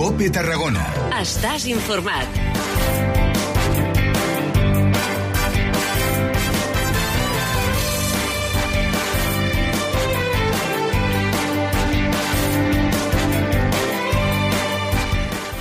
COPE Tarragona. Estàs informat.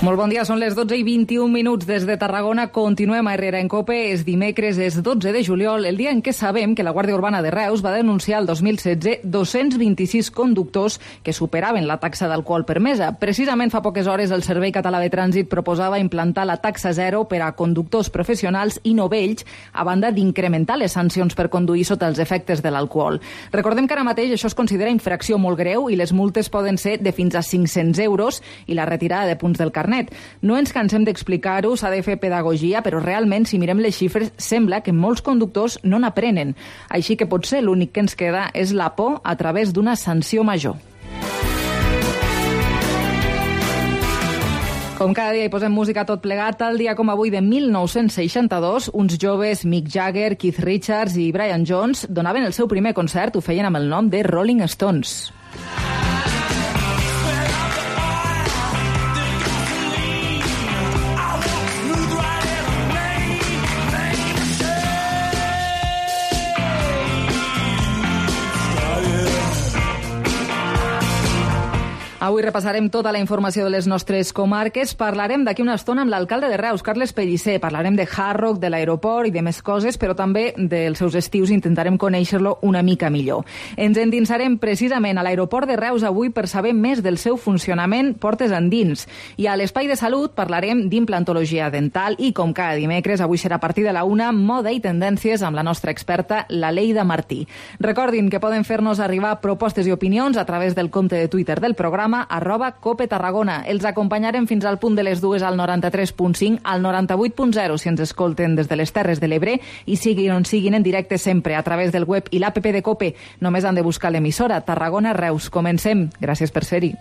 Molt bon dia, són les 12:21 des de Tarragona. Continuem a Herrera en COPE. És dimecres, és 12 de juliol, el dia en què sabem que la Guàrdia Urbana de Reus va denunciar el 2016 226 conductors que superaven la taxa d'alcohol permesa. Precisament fa poques hores el Servei Català de Trànsit proposava implantar la taxa zero per a conductors professionals i novells, a banda d'incrementar les sancions per conduir sota els efectes de l'alcohol. Recordem que ara mateix això es considera infracció molt greu i les multes poden ser de fins a 500 euros i la retirada de punts del carnet. No ens cansem d'explicar-ho, s'ha de fer pedagogia, però realment, si mirem les xifres, sembla que molts conductors no n'aprenen. Així que potser l'únic que ens queda és la por a través d'una sanció major. Com cada dia hi posem música tot plegat, tal dia com avui de 1962, uns joves, Mick Jagger, Keith Richards i Brian Jones, donaven el seu primer concert, ho feien amb el nom de Rolling Stones. Avui repassarem tota la informació de les nostres comarques. Parlarem d'aquí una estona amb l'alcalde de Reus, Carles Pellicer. Parlarem de Hard Rock, de l'aeroport i de més coses, però també dels seus estius. Intentarem conèixer-lo una mica millor. Ens endinsarem precisament a l'aeroport de Reus avui per saber més del seu funcionament portes endins. I a l'Espai de Salut parlarem d'implantologia dental i, com cada dimecres, avui serà a partir de la 1, moda i tendències amb la nostra experta, la Leida Martí. Recordin que poden fer-nos arribar propostes i opinions a través del compte de Twitter del programa @COPE Tarragona. Els acompanyarem fins al punt de les 2 al 93.5, al 98.0 si ens escolten des de les Terres de l'Ebre i siguin on siguin en directe sempre a través del web i l'app de COPE. Només han de buscar l'emissora Tarragona Reus. Comencem. Gràcies per ser-hi.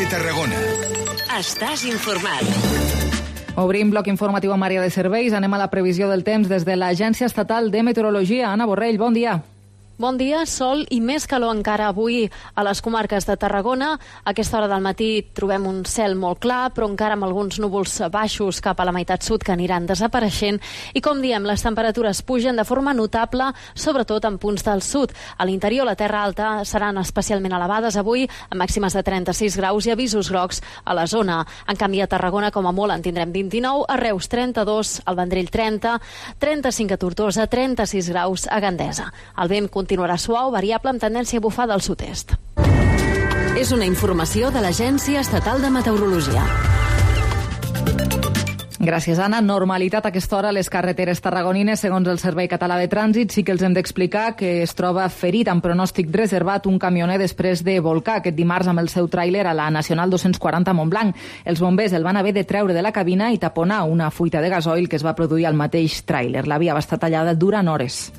Tarragona. Estàs informat. Obrim bloc informatiu amb àrea de serveis. Anem a la previsió del temps des de l'Agència Estatal de Meteorologia. Anna Borrell, bon dia. Bon dia, sol i més calor encara avui a les comarques de Tarragona. A aquesta hora del matí trobem un cel molt clar, però encara amb alguns núvols baixos cap a la meitat sud que aniran desapareixent. I com diem, les temperatures pugen de forma notable, sobretot en punts del sud. A l'interior, la terra alta seran especialment elevades avui, amb màximes de 36 graus i avisos grocs a la zona. En canvi, a Tarragona, com a molt, en tindrem 29, a Reus 32, al Vendrell 30, 35 a Tortosa, 36 graus a Gandesa. El vent continuarà suau, variable amb tendència a bufar del sud-est. És una informació de l'Agència Estatal de Meteorologia. Gràcies, Anna. Normalitat a aquesta hora a les carreteres tarragonines. Segons el Servei Català de Trànsit, sí que els hem d'explicar que es troba ferit amb pronòstic reservat un camioner després de volcar aquest dimarts amb el seu tràiler a la Nacional 240 a Montblanc. Els bombers el van haver de treure de la cabina i taponar una fuita de gasoil que es va produir al mateix tràiler. La via va estar tallada durant hores.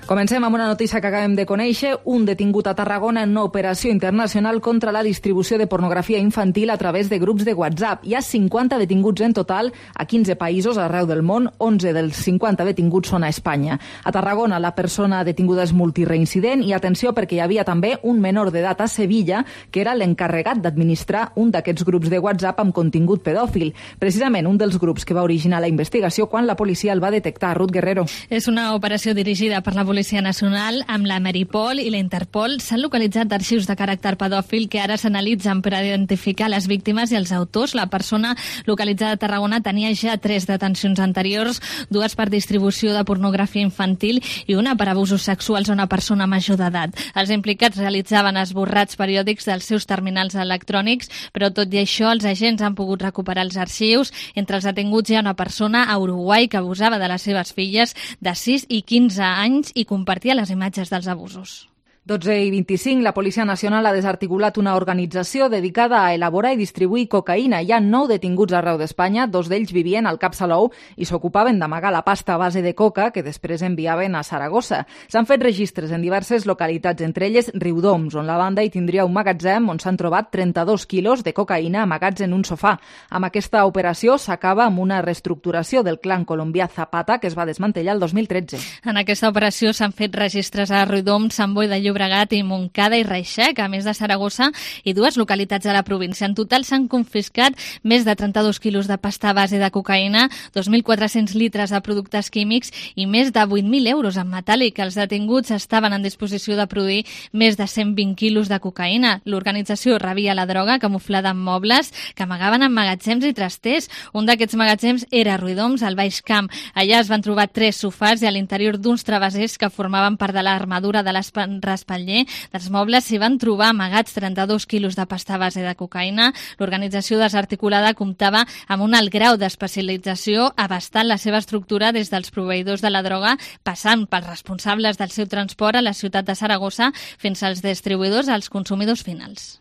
Comencem amb una notícia que acabem de conèixer. Un detingut a Tarragona en una operació internacional contra la distribució de pornografia infantil a través de grups de WhatsApp. Hi ha 50 detinguts en total a 15 països arreu del món. 11 dels 50 detinguts són a Espanya. A Tarragona la persona detinguda és multireincident i atenció perquè hi havia també un menor d'edat a Sevilla que era l'encarregat d'administrar un d'aquests grups de WhatsApp amb contingut pedòfil. Precisament un dels grups que va originar la investigació quan la policia el va detectar. Ruth Guerrero. És una operació dirigida per la Policia Nacional amb la Meripol i la Interpol. S'han localitzat arxius de caràcter pedòfil que ara s'analitzen per identificar les víctimes i els autors. La persona localitzada a Tarragona tenia ja 3 detencions anteriors, 2 per distribució de pornografia infantil i una per abusos sexuals a una persona major d'edat. Els implicats realitzaven esborrats periòdics dels seus terminals electrònics, però tot i això els agents han pogut recuperar els arxius. Entre els detinguts hi ha una persona a Uruguai que abusava de les seves filles de 6 i 15 anys i compartia les imatges dels abusos. 12:25, la Policia Nacional ha desarticulat una organització dedicada a elaborar i distribuir cocaïna. Hi ha 9 detinguts arreu d'Espanya, 2 d'ells vivien al Cap Salou i s'ocupaven d'amagar la pasta a base de coca que després enviaven a Saragossa. S'han fet registres en diverses localitats, entre elles Riudoms, on la banda hi tindria un magatzem on s'han trobat 32 quilos de cocaïna amagats en un sofà. Amb aquesta operació s'acaba amb una reestructuració del clan colombià Zapata que es va desmantellar el 2013. En aquesta operació s'han fet registres a Riudoms, Sant Boi de Llobregat i Montcada i Reixac, a més de Saragossa i 2 localitats de la província. En total s'han confiscat més de 32 quilos de pasta a base de cocaïna, 2.400 litres de productes químics i més de 8.000 euros en metàl·lic. Els detinguts estaven en disposició de produir més de 120 quilos de cocaïna. L'organització rebia la droga camuflada en mobles que amagaven en magatzems i trasters. Un d'aquests magatzems era a Riudoms, al Baix Camp. Allà es van trobar 3 sofàs i a l'interior d'uns travessers que formaven part de l'armadura de l'espatller dels mobles s'hi van trobar amagats 32 quilos de pasta a base de cocaïna. L'organització desarticulada comptava amb un alt grau d'especialització, abastant la seva estructura des dels proveïdors de la droga, passant pels responsables del seu transport a la ciutat de Saragossa fins als distribuïdors als consumidors finals.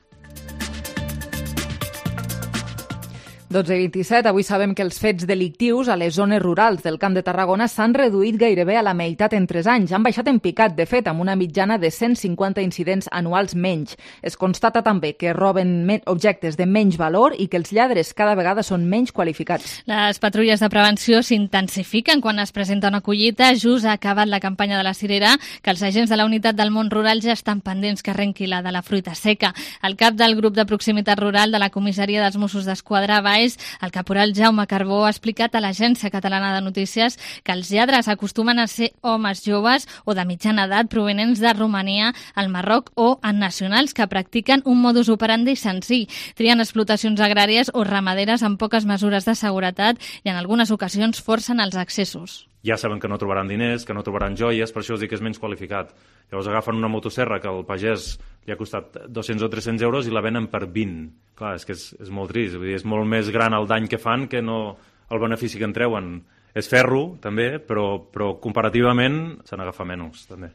12:27, avui sabem que els fets delictius a les zones rurals del Camp de Tarragona s'han reduït gairebé a la meitat en 3 anys. Han baixat en picat, de fet, amb una mitjana de 150 incidents anuals menys. Es constata també que roben objectes de menys valor i que els lladres cada vegada són menys qualificats. Les patrulles de prevenció s'intensifiquen quan es presenta una collita. Just ha acabat la campanya de la cirera, que els agents de la unitat del món rural ja estan pendents que arrenqui la de la fruita seca. El cap del grup de proximitat rural de la comissaria dels Mossos d'Esquadra, el caporal Jaume Carbó, ha explicat a l'Agència Catalana de Notícies que els lladres acostumen a ser homes joves o de mitjana edat provenents de Romania, el Marroc o en nacionals que practiquen un modus operandi senzill. Trien explotacions agràries o ramaderes amb poques mesures de seguretat i en algunes ocasions forcen els accessos. Ja saben que no trobaran diners, que no trobaran joies, per això us dic que és menys qualificat. Llavors agafen una motosserra que al pagès li ha costat 200 o 300 euros i la venen per 20. Clar, és que és molt trist, vull dir, és molt més gran el dany que fan que no el benefici que en treuen. És ferro, també, però comparativament se n'agafa menys, també.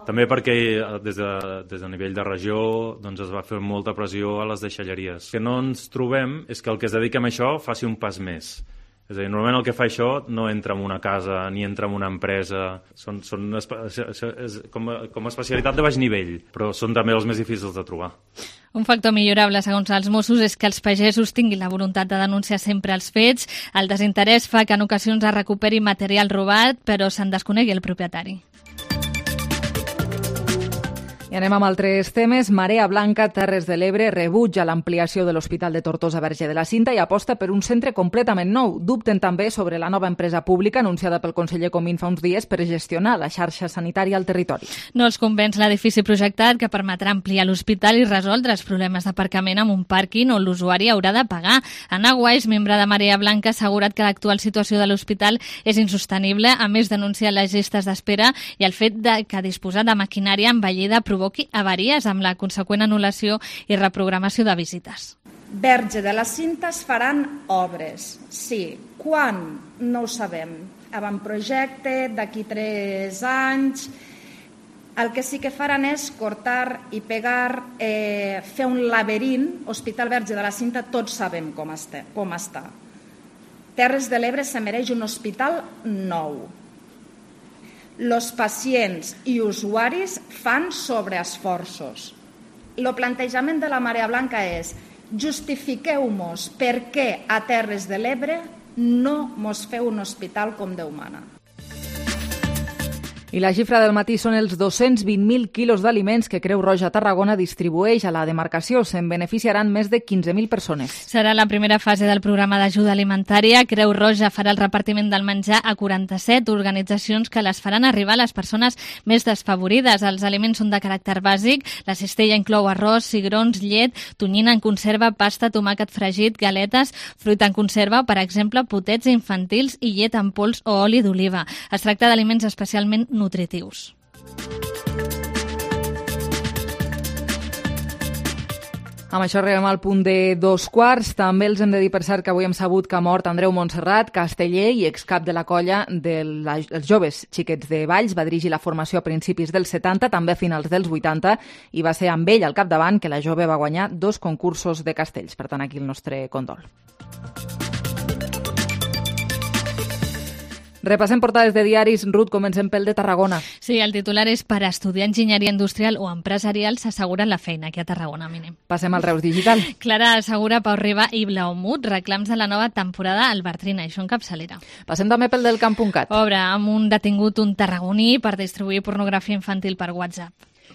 També perquè des de nivell de regió doncs es va fer molta pressió a les deixalleries. El que no ens trobem és que el que es dedica a això faci un pas més. És a dir, normalment el que fa això no entra en una casa ni entra en una empresa, és com a especialitat de baix nivell, però són també els més difícils de trobar. Un factor millorable, segons els Mossos, és que els pagesos tinguin la voluntat de denunciar sempre els fets. El desinterès fa que en ocasions es recuperi material robat, però se'n desconegui el propietari. I anem amb altres temes. Marea Blanca, Terres de l'Ebre, rebutja l'ampliació de l'Hospital de Tortosa Verge de la Cinta i aposta per un centre completament nou. Dubten també sobre la nova empresa pública anunciada pel conseller Comín fa uns dies per gestionar la xarxa sanitària al territori. No els convenç l'edifici projectat, que permetrà ampliar l'hospital i resoldre els problemes d'aparcament amb un pàrquing on l'usuari haurà de pagar. Anna Guais, membre de Marea Blanca, ha assegurat que l'actual situació de l'hospital és insostenible, a més denunciar les llistes d'espera i el fet que disposar de maquinària envellida provoqui avaries amb la conseqüent anul·lació i reprogramació de visites. Verge de la Cinta es faran obres, sí. Quan? No ho sabem. Avantprojecte, d'aquí 3 anys. El que sí que faran és cortar i pegar, fer un laberint. Hospital Verge de la Cinta tots sabem com està. Terres de l'Ebre se mereix un hospital nou. Els pacients i usuaris fan sobreesforços. El plantejament de la Marea Blanca és: justifiqueu-mos per què a Terres de l'Ebre no mos feu un hospital com Déu mana. I la xifra del matí són els 220.000 quilos d'aliments que Creu Roja Tarragona distribueix a la demarcació. Se'n beneficiaran més de 15.000 persones. Serà la primera fase del programa d'ajuda alimentària. Creu Roja farà el repartiment del menjar a 47 organitzacions que les faran arribar a les persones més desfavorides. Els aliments són de caràcter bàsic. La cistella inclou arròs, cigrons, llet, tonyina en conserva, pasta, tomàquet fregit, galetes, fruita en conserva, per exemple, potets infantils i llet en pols o oli d'oliva. Es tracta d'aliments especialment nutritius. Amb això arribem al punt de 2:15. També els hem de dir, per cert, que avui hem sabut que ha mort Andreu Montserrat, casteller i excap de la colla dels joves xiquets de Valls. Va dirigir la formació a principis dels 70, també a finals dels 80, i va ser amb ell al capdavant que la jove va guanyar 2 concursos de castells. Per tant, aquí el nostre condol. Repassem portades de diaris. Ruth, comencem pel de Tarragona. Sí, el titular és: per estudiar enginyeria industrial o empresarial s'asseguren la feina aquí a Tarragona, mínim. Passem al Reus Digital. Clara assegura Pau Riba i Blaumut reclams de la nova temporada al Bartrina, això en capçalera. Passem també pel del Camp.cat. Obre amb un detingut un tarragoní per distribuir pornografia infantil per WhatsApp.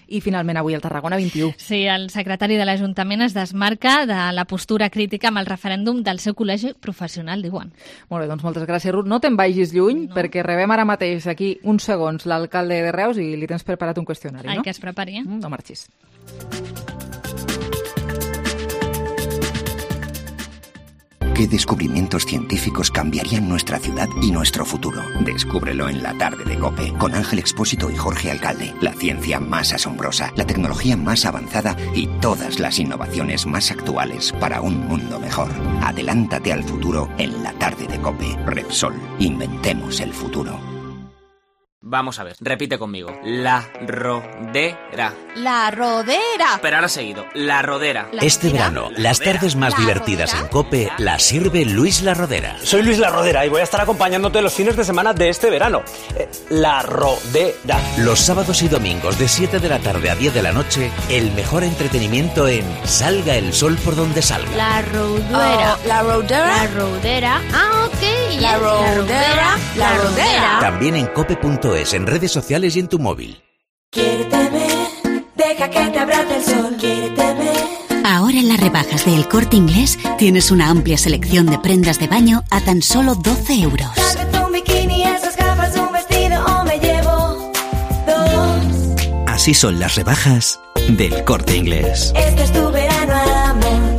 I finalment avui el Tarragona 21. Sí, el secretari de l'Ajuntament es desmarca de la postura crítica amb el referèndum del seu col·legi professional, diuen. Molt bé, doncs moltes gràcies, Ruth. No te'n vagis lluny, perquè rebem ara mateix aquí uns segons l'alcalde de Reus i li tens preparat un qüestionari, no? Que es prepari. No marxis. ¿Qué descubrimientos científicos cambiarían nuestra ciudad y nuestro futuro? Descúbrelo en la tarde de COPE con Ángel Expósito y Jorge Alcalde. La ciencia más asombrosa, la tecnología más avanzada y todas las innovaciones más actuales para un mundo mejor. Adelántate al futuro en la tarde de COPE. Repsol. Inventemos el futuro. Vamos a ver, repite conmigo. La rodera. La rodera. Pero ahora seguido, la rodera. Este verano, las tardes más divertidas en COPE las sirve Luis La Rodera. Soy Luis La Rodera y voy a estar acompañándote los fines de semana de este verano. La rodera. Los sábados y domingos de 7 de la tarde a 10 de la noche, el mejor entretenimiento en Salga el sol por donde salga. La rodera. La rodera. La rodera. Ah, ok. La rodera. La rodera. También en cope.es, en redes sociales y en tu móvil. Quiérteme, deja que te abrace el sol. Quiérteme. Ahora en las rebajas de El Corte Inglés tienes una amplia selección de prendas de baño a tan solo 12 euros. Tal vez un bikini, esas gafas, un vestido o me llevo 2. Así son las rebajas del Corte Inglés. Este es tu verano, amor.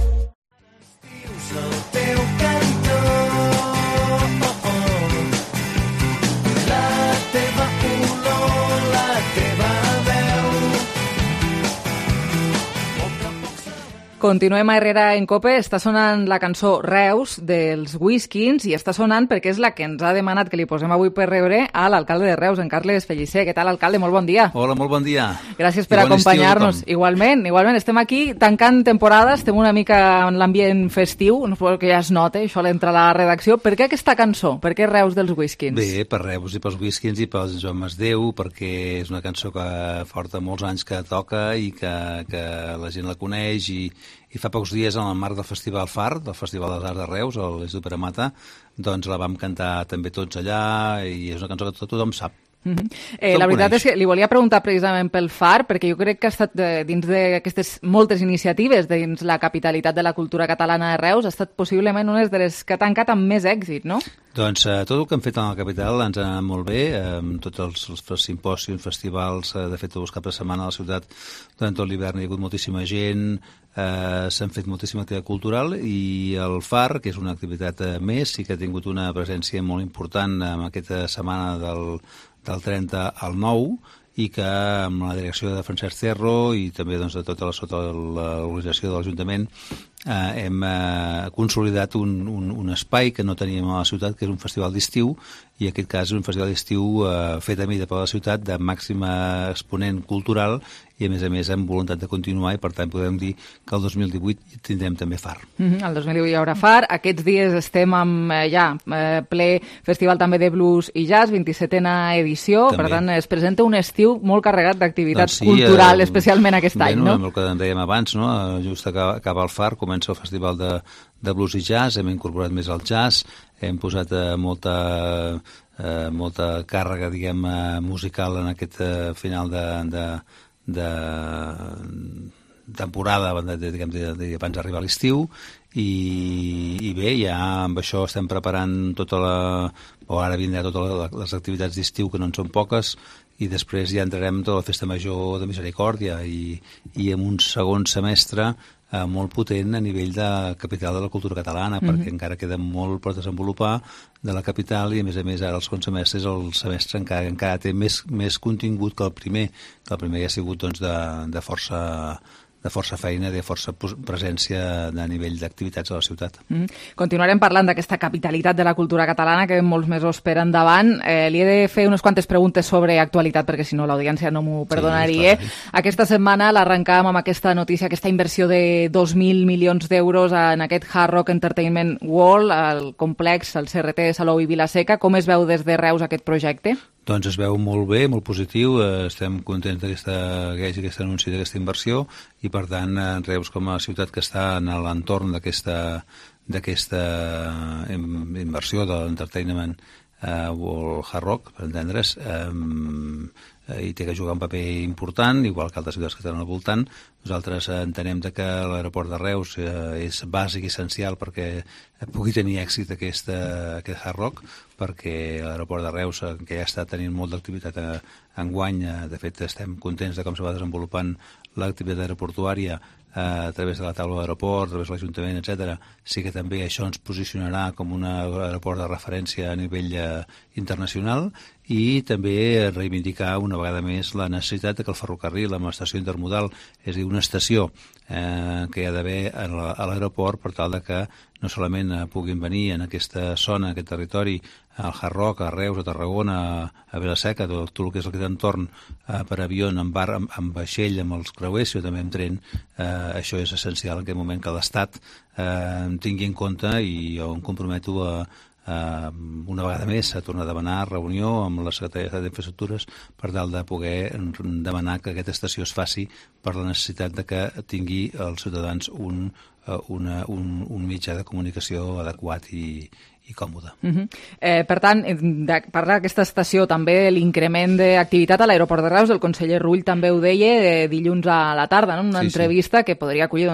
Continuem a Herrera en COPE. Està sonant la cançó Reus dels Whiskins i està sonant perquè és la que ens ha demanat que li posem avui per rebre a l'alcalde de Reus, en Carles Pellicer. Què tal, alcalde? Molt bon dia. Hola, molt bon dia. Gràcies per acompanyar-nos. Igualment. Estem aquí tancant temporada, estem una mica en l'ambient festiu, no suposo que ja es nota, això l'entra a la redacció. Per què aquesta cançó? Per què Reus dels Whiskins? Bé, per Reus i pels Whiskins i pels Joan Masdeu, perquè és una cançó que porta molts anys que toca i que la gent la coneix i fa pocs dies, en el marc del Festival FAR, del Festival dels Arts de Reus, a l'Institut Pere Mata, doncs la vam cantar també tots allà i és una cançó que tothom sap. La veritat és que li volia preguntar precisament pel FAR, perquè jo crec que ha estat dins d'aquestes moltes iniciatives dins la capitalitat de la cultura catalana de Reus, ha estat possiblement una de les que ha tancat amb més èxit, no? Doncs tot el que hem fet a la capital ens ha anat molt bé, tots els simpòsiums, festivals, de fet tots els caps de setmana a la ciutat durant tot l'hivern hi ha hagut moltíssima gent, s'han fet moltíssima activitat cultural i el FAR, que és una activitat més, sí que ha tingut una presència molt important en aquesta setmana del 30 al 9 i que amb la direcció de Francesc Cerro i també doncs, de tota l'organització de l'Ajuntament hem consolidat un espai que no teníem a la ciutat, que és un festival d'estiu, i en aquest cas és un festival d'estiu fet a mida per la ciutat de màxima exponent cultural i a més amb voluntat de continuar i per tant podem dir que el 2018 tindrem també FAR. El 2018 hi haurà FAR. Aquests dies estem amb ple festival també de blues i jazz, 27a edició, també. Per tant es presenta un estiu molt carregat d'activitat cultural, especialment aquest any, no? El que dèiem abans, no? Just acaba el FAR, comença el festival de blues i jazz, hem incorporat més el jazz, hem posat molta càrrega, diguem, musical en aquest final de temporada, diguem, abans d'arribar a l'estiu, i bé, ja amb això estem preparant ara vindrà totes les activitats d'estiu, que no en són poques, i després ja entrarem tota la Festa Major de Misericòrdia i en un segon semestre molt potent a nivell de capital de la cultura catalana, perquè encara queda molt per desenvolupar de la capital i a més ara el segon semestre és el semestre encara té més contingut que el primer ja ha sigut doncs, de força força feina, de força presència a nivell d'activitats a la ciutat. Continuarem parlant d'aquesta capitalitat de la cultura catalana que molts mesos per endavant. Li he de fer unes quantes preguntes sobre actualitat perquè si no l'audiència no m'ho perdonaria. Sí, aquesta setmana l'arrencàvem amb aquesta notícia, aquesta inversió de 2.000 milions d'euros en aquest Hard Rock Entertainment World, el complex, el CRT de Salou i Vila-seca. Com es veu des de Reus aquest projecte? Doncs es veu molt bé, molt positiu, estem contents que hi hagi aquest anunci d'aquesta inversió i, per tant, Reus com a ciutat que està en l'entorn d'aquesta inversió de l'entertainment o el Hard Rock, per entendre's, hi té que jugar un paper important, igual que altres ciutats que estan al voltant. Nosaltres entenem que l'aeroport de Reus és bàsic i essencial perquè pugui tenir èxit aquest Hard Rock, perquè l'aeroport de Reus, que ja està tenint molt d'activitat enguany, de fet estem contents de com se va desenvolupant l'activitat aeroportuària a través de la taula d'aeroport, a través de l'Ajuntament, etc. Sí que també això ens posicionarà com un aeroport de referència a nivell internacional i també reivindicar una vegada més la necessitat que el ferrocarril amb l'estació intermodal, és a dir, una estació que hi ha d'haver a l'aeroport per tal que no solament puguin venir en aquesta zona, en aquest territori, al Hard Rock, a Reus, a Tarragona, a Vila-seca, tot el que és aquest entorn per avió, amb vaixell, amb els creuers, sinó també amb tren. Això és essencial en aquest moment que l'Estat tingui en compte, i jo em comprometo una vegada més a tornar a demanar reunió amb la Secretaria d'Infraestructures per tal de poder demanar que aquesta estació es faci per la necessitat de que tingui els ciutadans un mitjà de comunicació adequat i còmode. Per tant, parlar d'aquesta estació, també l'increment d'activitat a l'aeroport de Reus, el conseller Rull també ho deia dilluns a la tarda, en una entrevista que podria acollir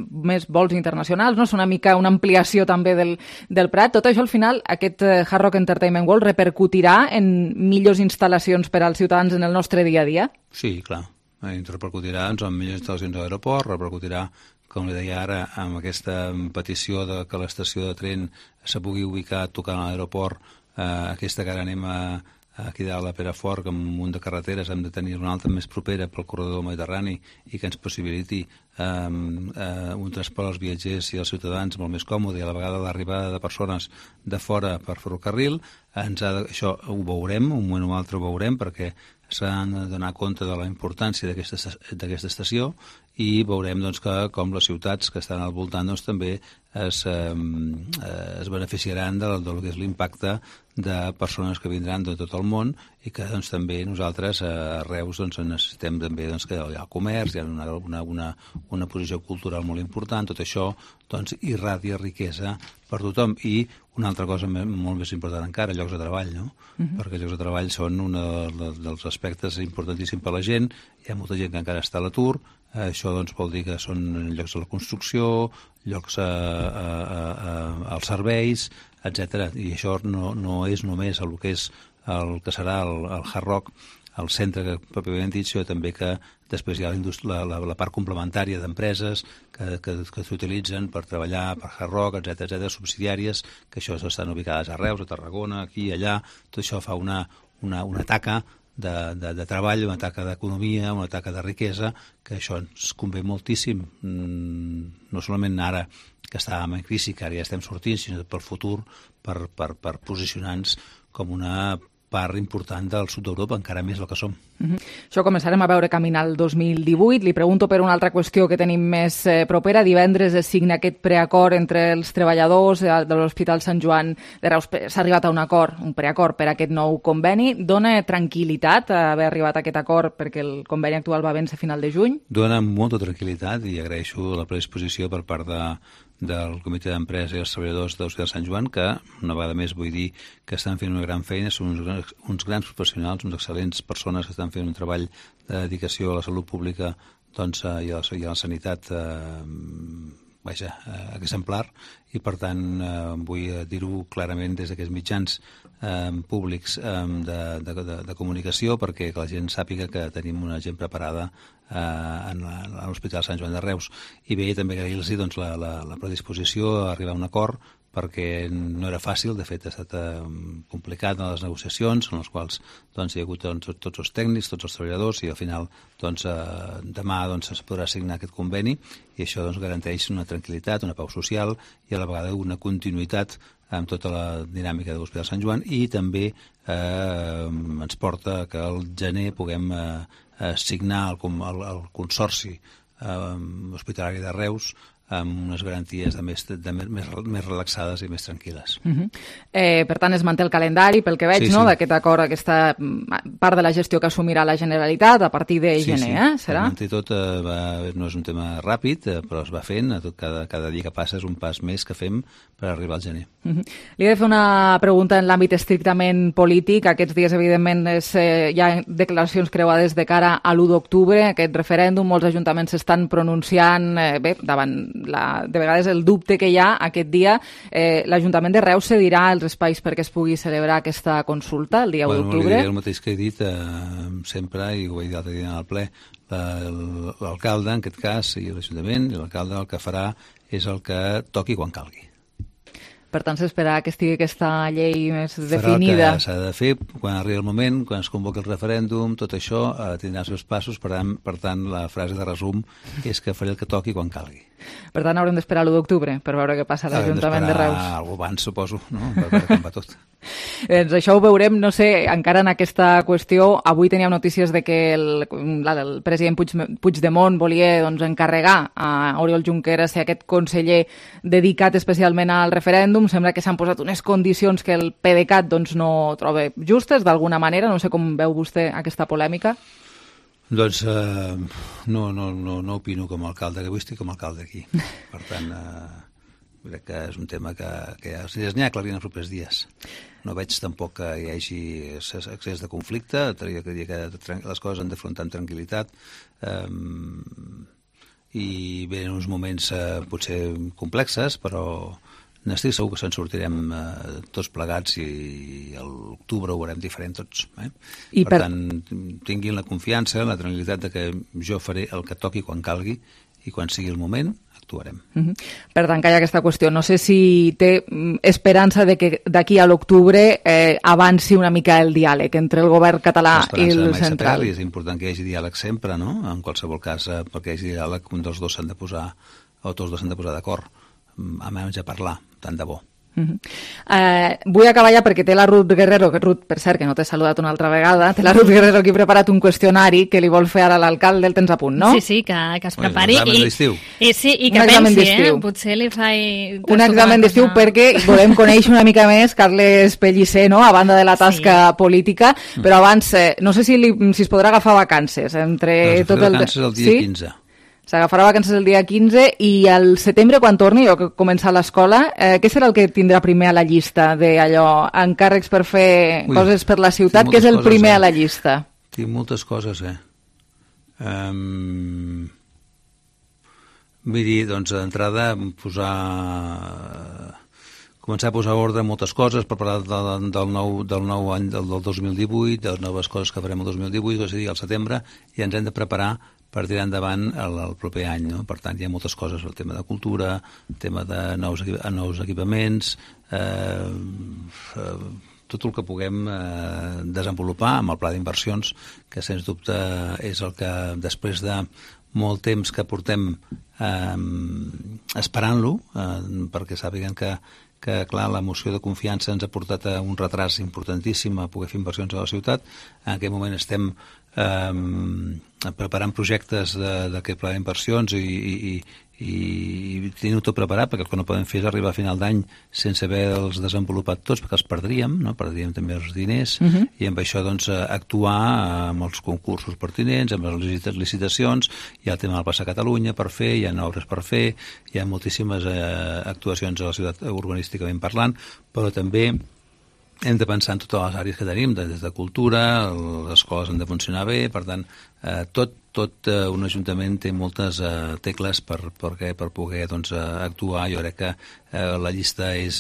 més vols internacionals, no? És una mica una ampliació també del Prat. Tot això, al final, aquest Hard Rock Entertainment World repercutirà en millors instal·lacions per als ciutadans en el nostre dia a dia? Sí, clar. Repercutirà en millors instal·lacions a l'aeroport, repercutirà, com li deia ara, amb aquesta petició de que l'estació de tren se pugui ubicar tocant a l'aeroport, aquesta que ara anem aquí dalt a Perafort, que amb un munt de carreteres hem de tenir una altra més propera pel corredor mediterrani i que ens possibiliti un transport als viatgers i als ciutadans molt més còmode, i a la vegada l'arribada de persones de fora per ferrocarril. Això ho veurem, un moment o altre ho veurem, perquè s'han de donar compte de la importància d'aquesta estació, i veurem com les ciutats que estan al voltant també es beneficiaran del que és l'impacte de persones que vindran de tot el món, i que també nosaltres a Reus necessitem també que hi ha el comerç, hi ha una posició cultural molt important. Tot això irradia riquesa per tothom. I una altra cosa molt més important encara, llocs de treball, no? Perquè llocs de treball són un dels aspectes importantíssims per a la gent. Hi ha molta gent que encara està a l'atur. Això vol dir que són llocs de la construcció, llocs als serveis, etc. I això no és només el que serà el Hard Rock, el centre que pròpiament dit, sinó també que després hi ha la part complementària d'empreses que s'utilitzen per treballar per Hard Rock, etc., subsidiàries, que això estan ubicades a Reus, a Tarragona, aquí i allà. Tot això fa una taca de treball, una taca d'economia, una taca de riquesa, que això ens convé moltíssim, no solament ara que estàvem en crisi, que ara ja estem sortint, sinó pel futur, per posicionar-nos com una part important del sud d'Europa, encara més del que som. Això començarem a veure caminar el 2018. Li pregunto per una altra qüestió que tenim més propera. Divendres es signa aquest preacord entre els treballadors de l'Hospital Sant Joan de Reus. S'ha arribat a un preacord per a aquest nou conveni. Dona tranquil·litat haver arribat a aquest acord perquè el conveni actual va vèncer a final de juny? Dona molta tranquil·litat, i agraeixo la predisposició per part del comitè d'empresa i els treballadors de l'Hospital Sant Joan, que una vegada més vull dir que estan fent una gran feina, són uns grans professionals, uns excel·lents persones que estan fent un treball de dedicació a la salut pública i a la sanitat exemplar, i per tant vull dir-ho clarament des d'aquests mitjans públics de comunicació, perquè la gent sàpiga que tenim una gent preparada a l'Hospital Sant Joan de Reus. I bé, també agrair-los la predisposició a arribar a un acord perquè no era fàcil, de fet ha estat complicat en les negociacions, en les quals doncs, hi ha hagut tots els tècnics, tots els treballadors, i al final demà es podrà signar aquest conveni, i això garanteix una tranquil·litat, una pau social i a la vegada una continuïtat amb tota la dinàmica de l'Hospital Sant Joan, i també ens porta que al gener puguem signar el Consorci Hospitalari de Reus amb unes garanties més relaxades i més tranquil·les. Per tant, es manté el calendari, pel que veig, sí. d'aquest acord, aquesta part de la gestió que assumirà la Generalitat a partir de gener, serà? Sí, tot no és un tema ràpid, però es va fent, cada dia que passa és un pas més que fem per arribar al gener. Li he de fer una pregunta en l'àmbit estrictament polític. Aquests dies, evidentment, hi ha declaracions creuades de cara a l'1 d'octubre, aquest referèndum, molts ajuntaments s'estan pronunciant, davant de vegades el dubte que hi ha aquest dia. L'Ajuntament de Reus cedirà els espais perquè es pugui celebrar aquesta consulta el dia 1 d'octubre? El mateix que he dit sempre, i ho he dit l'altre dia en el ple, l'alcalde, en aquest cas, i l'Ajuntament, i l'alcalde el que farà és el que toqui quan calgui. Per tant, s'espera que estigui aquesta llei més definida. Farà el que s'ha de fer quan arribi el moment, quan es convoqui el referèndum, tot això tindrà els seus passos, per tant, la frase de resum és que faré el que toqui quan calgui. Per tant, haurem d'esperar l'1 d'octubre per veure què passa a l'Ajuntament de Reus. Algú abans, suposo, no? Per veure com va tot. Doncs això ho veurem, no sé, encara en aquesta qüestió. Avui teníem notícies de que el president Puigdemont volia encarregar a Oriol Junqueras ser aquest conseller dedicat especialment al referèndum. Sembla que s'han posat unes condicions que el PDeCAT no troba justes, d'alguna manera. No sé com veu vostè aquesta polèmica. Doncs no opino com a alcalde, que avui estic com a alcalde aquí. Per tant, crec que és un tema que n'hi ha aclarir en els propers dies. No veig tampoc que hi hagi excés de conflicte, diria que les coses han d'afrontar amb tranquil·litat, i venen uns moments potser complexes, però n'estic segur que se'n sortirem tots plegats, i a l'octubre ho veurem diferent tots. Per tant, tinguin la confiança, la tranquil·litat de que jo faré el que toqui quan calgui, i quan sigui el moment actuarem. Per tant, que hi ha aquesta qüestió. No sé si té esperança de que d'aquí a l'octubre avanci una mica el diàleg entre el govern català i el central. És important que hi hagi diàleg sempre, no? En qualsevol cas, perquè hi hagi diàleg, un dels dos s'han de posar d'acord, a menys a parlar, tant de bo. Vull acabar ja perquè té la Ruth Guerrero, Ruth, per cert, que no t'he saludat una altra vegada, té la Ruth Guerrero aquí preparat un qüestionari que li vol fer ara l'alcalde, el tens a punt, no? Sí, que es prepari. Un examen d'estiu. I que pensi, potser li faig... Un examen d'estiu perquè volem conèixer una mica més Carles Pellicer, no?, a banda de la tasca política, però abans, no sé si es podrà agafar vacances entre tot el... Vacances el dia 15. S'agafarà vacances el dia 15 i al setembre, quan torni, o que comença l'escola, què serà el que tindrà primer a la llista d'allò, encàrrecs per fer coses per la ciutat? Què és el primer a la llista? Tinc moltes coses, Vull dir, doncs, d'entrada, començar a posar ordre en moltes coses per parlar del nou any, del 2018, de les noves coses que farem el 2018, és a dir, al setembre, i ens hem de preparar per tirar endavant el proper any, no? Per tant, hi ha moltes coses, el tema de cultura, el tema de nous equipaments, tot el que puguem desenvolupar amb el pla d'inversions, que sens dubte és el que després de molt temps que portem esperant-lo, perquè sàpiguen que clar, la moció de confiança ens ha portat a un retras importantíssim a poder fer inversions a la ciutat. En aquest moment estem preparant projectes d'aquest pla d'inversions i tenir-ho tot preparat, perquè el que no podem fer és arribar a final d'any sense haver-los desenvolupat tots, perquè els perdríem, no? Perdríem també els diners, i amb això doncs actuar amb els concursos pertinents, amb les licitacions. Hi ha el tema del Plaça Catalunya per fer, hi ha obres per fer, hi ha moltíssimes actuacions a la ciutat urbanísticament parlant, però també hem de pensar en totes les àrees que tenim, des de cultura, les escoles han de funcionar bé, per tant, tot tot un ajuntament té moltes tecles per poder doncs, actuar. Jo crec que la llista és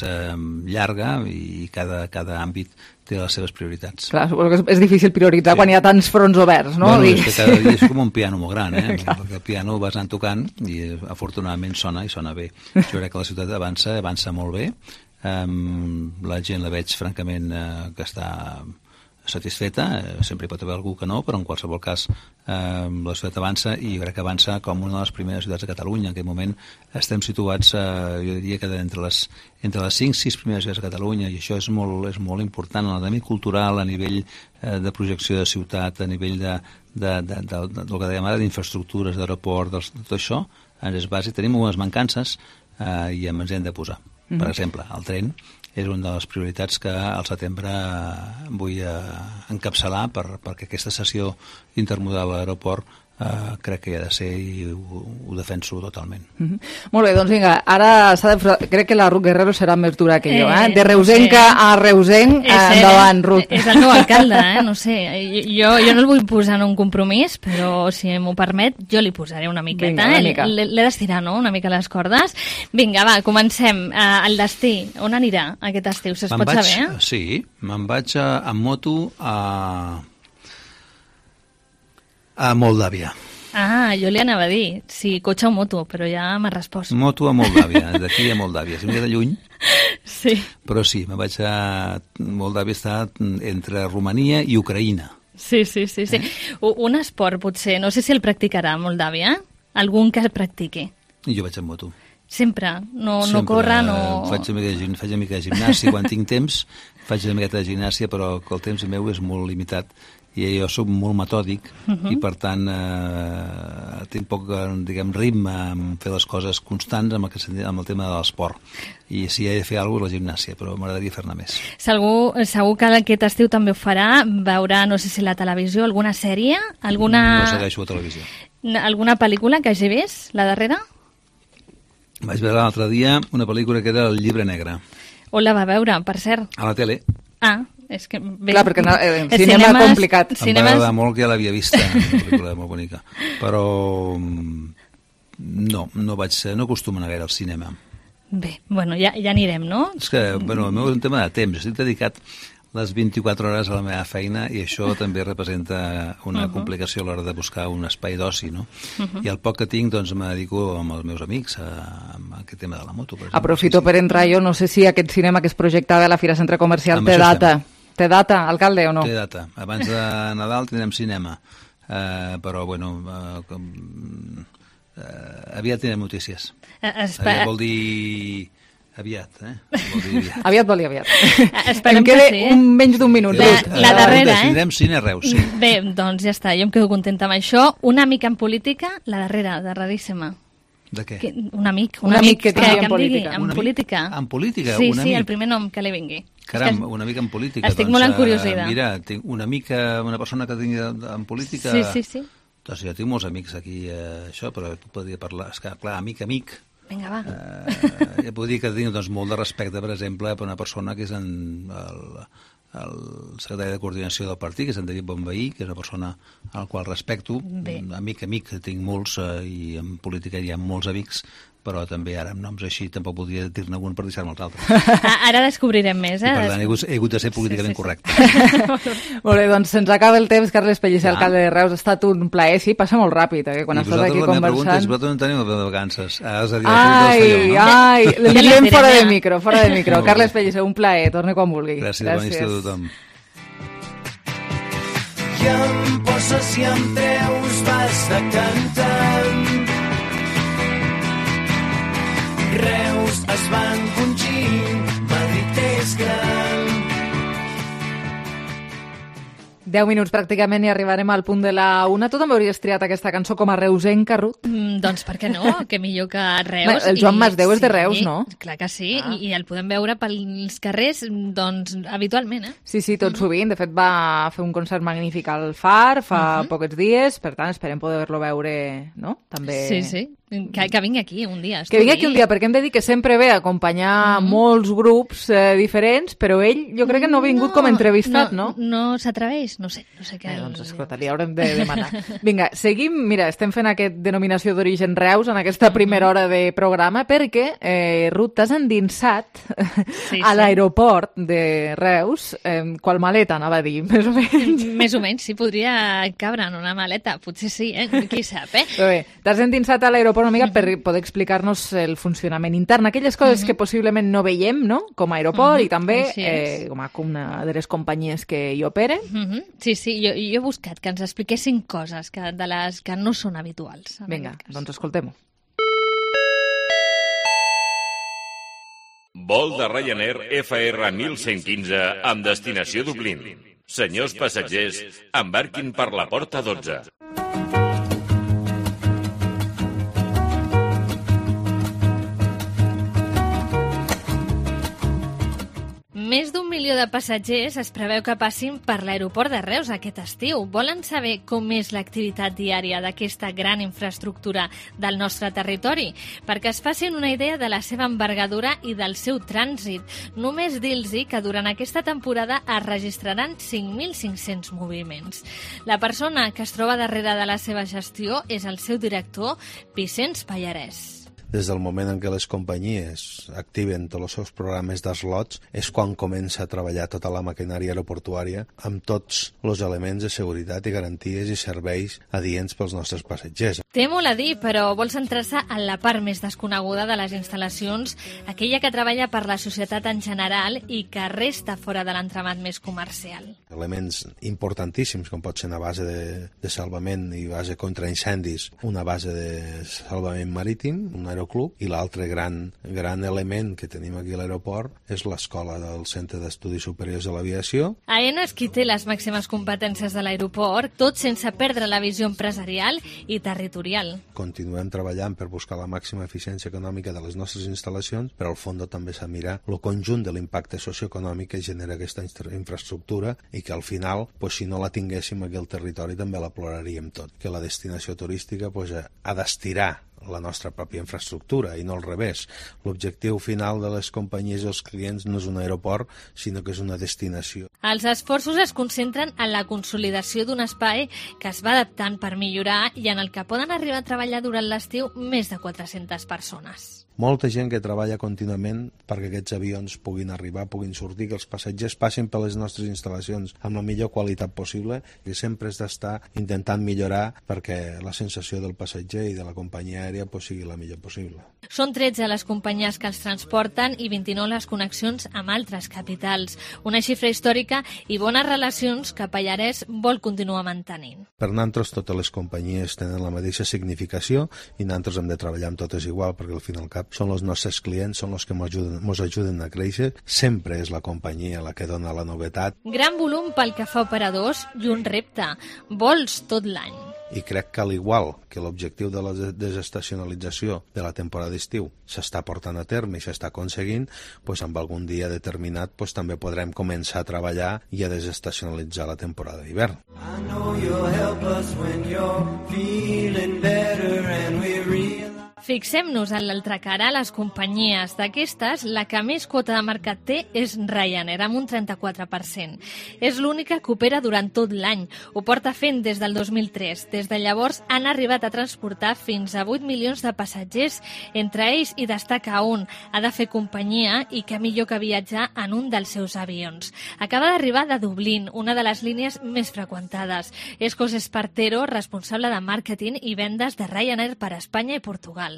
llarga i cada àmbit té les seves prioritats. Clar, suposo que és difícil prioritzar quan hi ha tants fronts oberts, no? Bueno, és que cada dia és com un piano molt gran, perquè el piano vas anant tocant i afortunadament sona i sona bé. Jo crec que la ciutat avança molt bé. La gent la veig francament que està satisfeta, sempre hi pot haver algú que no, però en qualsevol cas la ciutat avança i jo crec que avança com una de les primeres ciutats de Catalunya. En aquest moment estem situats, jo diria que entre les 5-6 primeres ciutats de Catalunya, i això és molt important en l'àmbit cultural, a nivell de projecció de ciutat, a nivell del que dèiem ara, d'infraestructures, d'aeroport, tot això ens és bàsic. Tenim unes mancances i ens hem de posar. Per exemple, el tren és una de les prioritats que al setembre vull encapçalar perquè aquesta sessió intermodal a l'aeroport crec que hi ha de ser i ho defenso totalment. Molt bé, doncs vinga, ara crec que la Ruth Guerrero serà més dura que jo, de reusenca a reusenc, endavant, Ruth. És el meu alcalde, no sé, jo no el vull posar en un compromís, però si m'ho permet, jo li posaré una miqueta, l'he d'estirar, no?, una mica les cordes. Vinga, va, comencem. El destí, on anirà aquest estiu, es pot saber? Sí, me'n vaig amb moto a Moldàvia. Jo li anava a dir, sí, cotxe o moto, però ja m'ha respost. Moto a Moldàvia, d'aquí a Moldàvia. Si m'he de lluny, sí. Però sí, me vaig a Moldàvia, està entre Romania i Ucraïna. Sí. Un esport, potser, no sé si el practicarà a Moldàvia, algun que el practiqui. Jo vaig amb moto. Sempre? No corre, no... Faig una mica de gimnàsia quan tinc temps, faig una miqueta de gimnàsia, però el temps meu és molt limitat. I jo soc molt metòdic i per tant tinc poc ritme en fer les coses constants amb el tema de l'esport, i si he de fer alguna cosa és la gimnàsia, però m'agradaria fer-ne més. Segur que aquest estiu també ho farà, veurà, no sé si la televisió, alguna sèrie, No segueixo la televisió. Alguna pel·lícula que hagi vist, la darrera? Vaig veure l'altre dia una pel·lícula que era El llibre negre. On la va veure, per cert? A la tele. És que... Bé, clar, perquè en cinema és complicat. Em va agradar molt, que ja l'havia vista, una pel·lícula molt bonica. Però no acostumo a anar gaire al cinema. Bé, bueno, ja anirem, no? És que, el meu és un tema de temps. Estic dedicat les 24 hores a la meva feina i això també representa una complicació a l'hora de buscar un espai d'oci, no? I el poc que tinc, doncs, me dedico amb els meus amics a aquest tema de la moto, per exemple. Aprofito per entrar jo, no sé si aquest cinema que es projectava a la Fira Centre Comercial té data. Té data, alcalde, o no? Té data. Abans de Nadal tindrem cinema. Però, bueno, aviat tindrem notícies. Aviat vol dir... Aviat, Aviat vol dir aviat. Esperem em queda menys d'un minut. La darrera, tindrem cine a Reus, sí. Bé, doncs ja està, jo em quedo contenta amb això. Una mica en política, la darrera, de raríssima. De què? Un amic que tingui en política. En política? En política? Sí, el primer nom que li vingui. Caram, un amic en política. Estic molt encuriosida. Mira, tinc una persona que tingui en política... Sí. Doncs jo tinc molts amics aquí, això, però podria parlar... És que, clar, amic... Vinga, va. Ja puc dir que tinc molt de respecte, per exemple, per una persona que és el secretari de coordinació del partit, que és en David Bonveí, que és una persona al qual respecto. Amic, tinc molts, i en política hi ha molts amics, però també ara amb noms així tampoc podria dir-ne un per deixar-me els altres. Ara descobrirem més, I per tant he hagut de ser políticament correcte. Molt bé, doncs se'ns acaba el temps. Carles Pellicer, alcalde de Reus, ha estat un plaer. Sí, passa molt ràpid, quan estàs aquí conversant. I vosaltres no teniu de vacances. Li diem fora de micro. Carles Pellicer, un plaer, torni quan vulgui. Gràcies. Bon estiu a tothom. I em poses i em treus, vas decantant. Reus es va encongint, Madrid és gran. 10 minuts pràcticament i arribarem al punt de la 1. Tu també hauries triat aquesta cançó com a reusenca, Ruth? Doncs per què no? Que millor que Reus. El Joan Masdeu és de Reus, no? Clar que sí, i el podem veure pels carrers, doncs, habitualment, Sí, tot sovint. De fet, va fer un concert magnífic al Far fa pocs dies, per tant, esperem poder-lo veure, no? També... Sí. Que vingui aquí un dia. Que vingui aquí un dia, perquè hem de dir que sempre ve a acompanyar molts grups diferents, però ell jo crec que no ha vingut com a entrevistat, no? No s'atreveix, No sé què... Doncs escolta, li haurem de demanar. Vinga, seguim. Mira, estem fent aquest denominació d'origen Reus en aquesta primera hora de programa perquè, Ruth, t'has endinsat a l'aeroport de Reus, qual maleta, anava a dir, més o menys. Més o menys, sí, podria cabre en una maleta. Potser sí, qui sap, Però bé, t'has endinsat a l'aeroport una mica per poder explicar-nos el funcionament intern, aquelles coses que possiblement no veiem, no?, com a aeroport i també com a una de les companyies que hi operen. Sí, jo he buscat que ens expliquessin coses de les que no són habituals. Vinga, doncs escoltem-ho. Vol de Ryanair FR 1115 amb destinació Dublín. Senyors passatgers, embarquin per la porta 12. Més d'1 milió de passatgers es preveu que passin per l'aeroport de Reus aquest estiu. Volen saber com és l'activitat diària d'aquesta gran infraestructura del nostre territori? Perquè es facin una idea de la seva envergadura i del seu trànsit. Només dir-los que durant aquesta temporada es registraran 5.500 moviments. La persona que es troba darrere de la seva gestió és el seu director, Vicenç Pallarès. Des del moment en què les companyies activen tots els seus programes d'eslots és quan comença a treballar tota la maquinària aeroportuària amb tots els elements de seguretat i garanties i serveis adients pels nostres passatgers. Té molt a dir, però vol centrar-se en la part més desconeguda de les instal·lacions, aquella que treballa per la societat en general i que resta fora de l'entramat més comercial. Elements importantíssims, com pot ser una base de salvament i base contra incendis, una base de salvament marítim, un aeroclub, i l'altre gran element que tenim aquí a l'aeroport és l'escola del Centre d'Estudis Superiors de l'Aviació. AENA és qui té les màximes competències de l'aeroport, tot sense perdre la visió empresarial i territorial. Continuem treballant per buscar la màxima eficiència econòmica de les nostres instal·lacions, però al fons també s'ha de mirar el conjunt de l'impacte socioeconòmic que genera aquesta infraestructura i que al final, si no la tinguéssim aquí al territori, també la ploraríem tot. Que la destinació turística ha d'estirar la nostra pròpia infraestructura i no al revés. L'objectiu final de les companyies i els clients no és un aeroport, sinó que és una destinació. Els esforços es concentren en la consolidació d'un espai que es va adaptant per millorar i en el que poden arribar a treballar durant l'estiu més de 400 persones. Molta gent que treballa contínuament perquè aquests avions puguin arribar, puguin sortir, que els passatgers passin per les nostres instal·lacions amb la millor qualitat possible, i sempre has d'estar intentant millorar perquè la sensació del passatger i de la companyia aèria sigui la millor possible. Són 13 les companyies que els transporten i 29 les connexions amb altres capitals. Una xifra històrica i bones relacions que Pallarès vol continuar mantenint. Per nosaltres totes les companyies tenen la mateixa significació i nosaltres hem de treballar amb totes igual, perquè al fin i al cap són els nostres clients, són els que ens ajuden a créixer. Sempre és la companyia la que dona la novetat. Gran volum pel que fa operadors i un repte. Vols tot l'any. I crec que al igual que l'objectiu de la desestacionalització de la temporada d'estiu s'està portant a terme i s'està aconseguint, amb algun dia determinat també podrem començar a treballar i a desestacionalitzar la temporada d'hivern. I know you'll help us when you're feeling better and we realize. Fixem-nos en l'altra cara, les companyies. D'aquestes, la que més quota de mercat té és Ryanair, amb un 34%. És l'única que opera durant tot l'any. Ho porta fent des del 2003. Des de llavors han arribat a transportar fins a 8 milions de passatgers. Entre ells hi destaca un. Ha de fer companyia i que millor que viatjar en un dels seus avions. Acaba d'arribar de Dublín, una de les línies més freqüentades. És José Espartero, responsable de màrqueting i vendes de Ryanair per Espanya i Portugal.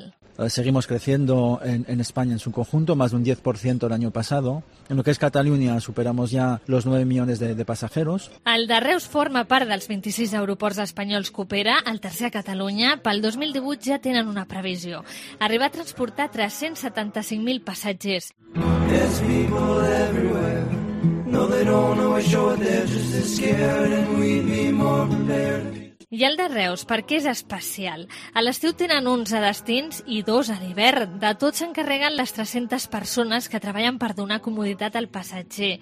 Seguimos creciendo en España en su conjunto, más de un 10% el año pasado. En lo que es Cataluña superamos ya los 9 millones de pasajeros. El de Reus forma part dels 26 aeroports espanyols que opera, el tercer a Catalunya. Pel 2018 ja tenen una previsió. Arribar a transportar 375.000 passatgers. There's people everywhere. No, they don't always show it, they're just as scared and we'd be more prepared. I el de Reus, per què és especial? A l'estiu tenen 11 destins i 2 a l'hivern. De tot s'encarreguen les 300 persones que treballen per donar comoditat al passatger.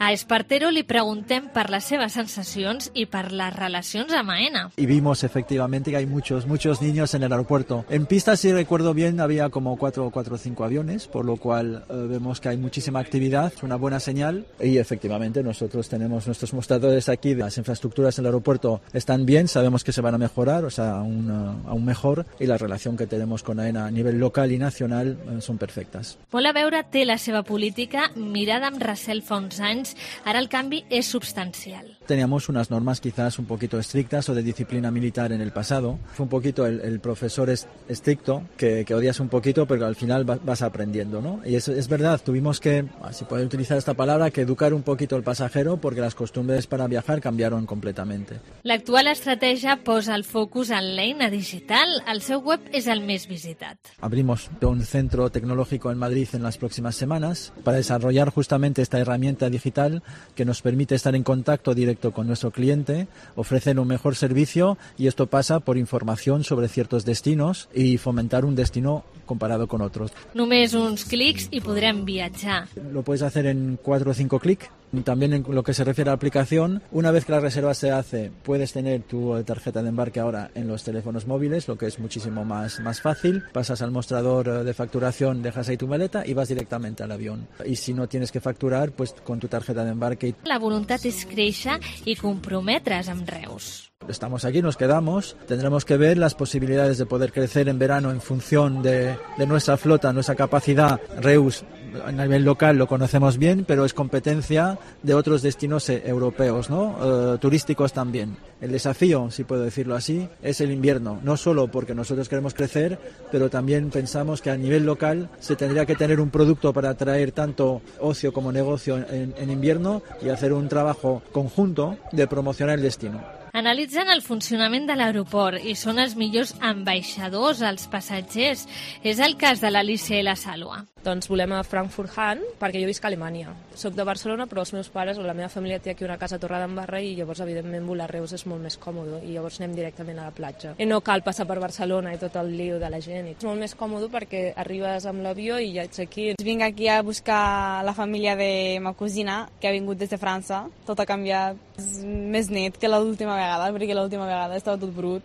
A Espartero li preguntem per les seves sensacions y por las relaciones amb AENA. Y vimos efectivamente que hay muchos niños en el aeropuerto. En pista, si recuerdo bien, había como 4 o 5 aviones, por lo cual vemos que hay muchísima actividad, es una buena señal. Y efectivamente nosotros tenemos nuestros mostradores aquí, las infraestructuras en el aeropuerto están bien, sabemos que se van a mejorar, o sea, aún mejor, y la relación que tenemos con AENA a nivel local y nacional son perfectas. Molt a veure té la seva política mirada amb recel fa uns anys, ara el canvi és substancial. Teníamos unas normas quizás un poquito estrictas o de disciplina militar en el pasado. Fue un poquito el profesor estricto que odias un poquito, pero al final vas aprendiendo, ¿no? Y es verdad, tuvimos que, si puedo utilizar esta palabra, que educar un poquito al pasajero porque las costumbres para viajar cambiaron completamente. L'actual estratègia posa el focus en l'eina digital. El seu web és el més visitat. Abrimos un centro tecnológico en Madrid en las próximas semanas para desarrollar justamente esta herramienta digital que nos permite estar en contacto directo con nuestro cliente, ofrecer un mejor servicio, y esto pasa por información sobre ciertos destinos y fomentar un destino comparado con otros. Només uns clics i podrem viatjar. Lo puedes hacer en 4 o 5 clics. También en lo que se refiere a la aplicación, una vez que la reserva se hace, puedes tener tu tarjeta de embarque ahora en los teléfonos móviles, lo que es muchísimo más fácil. Pasas al mostrador de facturación, dejas ahí tu maleta y vas directamente al avión. Y si no tienes que facturar, pues con tu tarjeta de embarque. La voluntat és créixer i comprometre's amb Reus. Estamos aquí, nos quedamos, tendremos que ver las posibilidades de poder crecer en verano en función de nuestra flota, nuestra capacidad. Reus a nivel local lo conocemos bien, pero es competencia de otros destinos europeos, ¿no? Turísticos también. El desafío, si puedo decirlo así, es el invierno, no solo porque nosotros queremos crecer, pero también pensamos que a nivel local se tendría que tener un producto para atraer tanto ocio como negocio en invierno y hacer un trabajo conjunto de promocionar el destino. Analitzen el funcionament de l'aeroport i són els millors ambaixadors als passatgers. És el cas de l'Alicia i la Sàlua. Doncs volem a Frankfurt-Hahn perquè jo visc a Alemanya. Soc de Barcelona, però els meus pares o la meva família té aquí una casa a Torredembarra i llavors, evidentment, volar a Reus és molt més còmode i llavors anem directament a la platja. I no cal passar per Barcelona i tot el lío de la gent. És molt més còmode perquè arribes amb l'avió i ja ets aquí. Vinc aquí a buscar la família de ma cosina, que ha vingut des de França. Tot ha canviat. És més net que l'última vegada, perquè l'última vegada estava tot brut.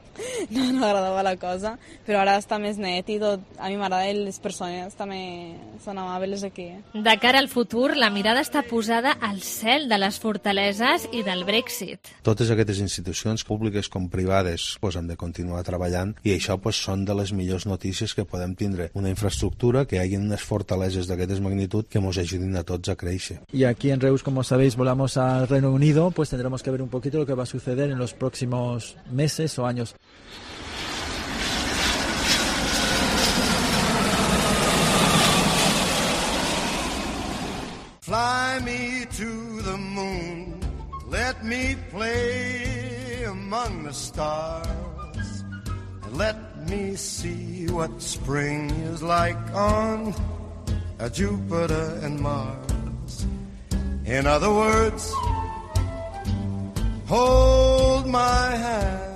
No agradava la cosa, però ara està més net i tot. A mi m'agrada les persones també són amables aquí. De cara al futur, la mirada està posada al cel de les fortaleses i del Brexit. Totes aquestes institucions, públiques com privades, hem de continuar treballant i això són de les millors notícies que podem tindre. Una infraestructura, que hi hagi unes fortaleses d'aquestes magnitud que ens ajudin a tots a créixer. Y aquí en Reus, como sabéis, volamos al Reino Unido, pues tendremos que ver un poquito lo que va a suceder en los próximos meses o años. Fly me to the moon, let me play among the stars, and let me see what spring is like on Jupiter and Mars. In other words, hold my hand.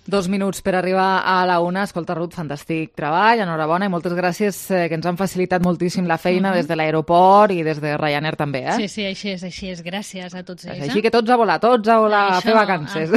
2 minuts per arribar a la una. Escolta, Ruth, fantàstic treball, enhorabona i moltes gràcies, que ens han facilitat moltíssim la feina des de l'aeroport i des de Ryanair també, eh? Sí, així és. Gràcies a tots ells. Així que tots a volar a fer vacances.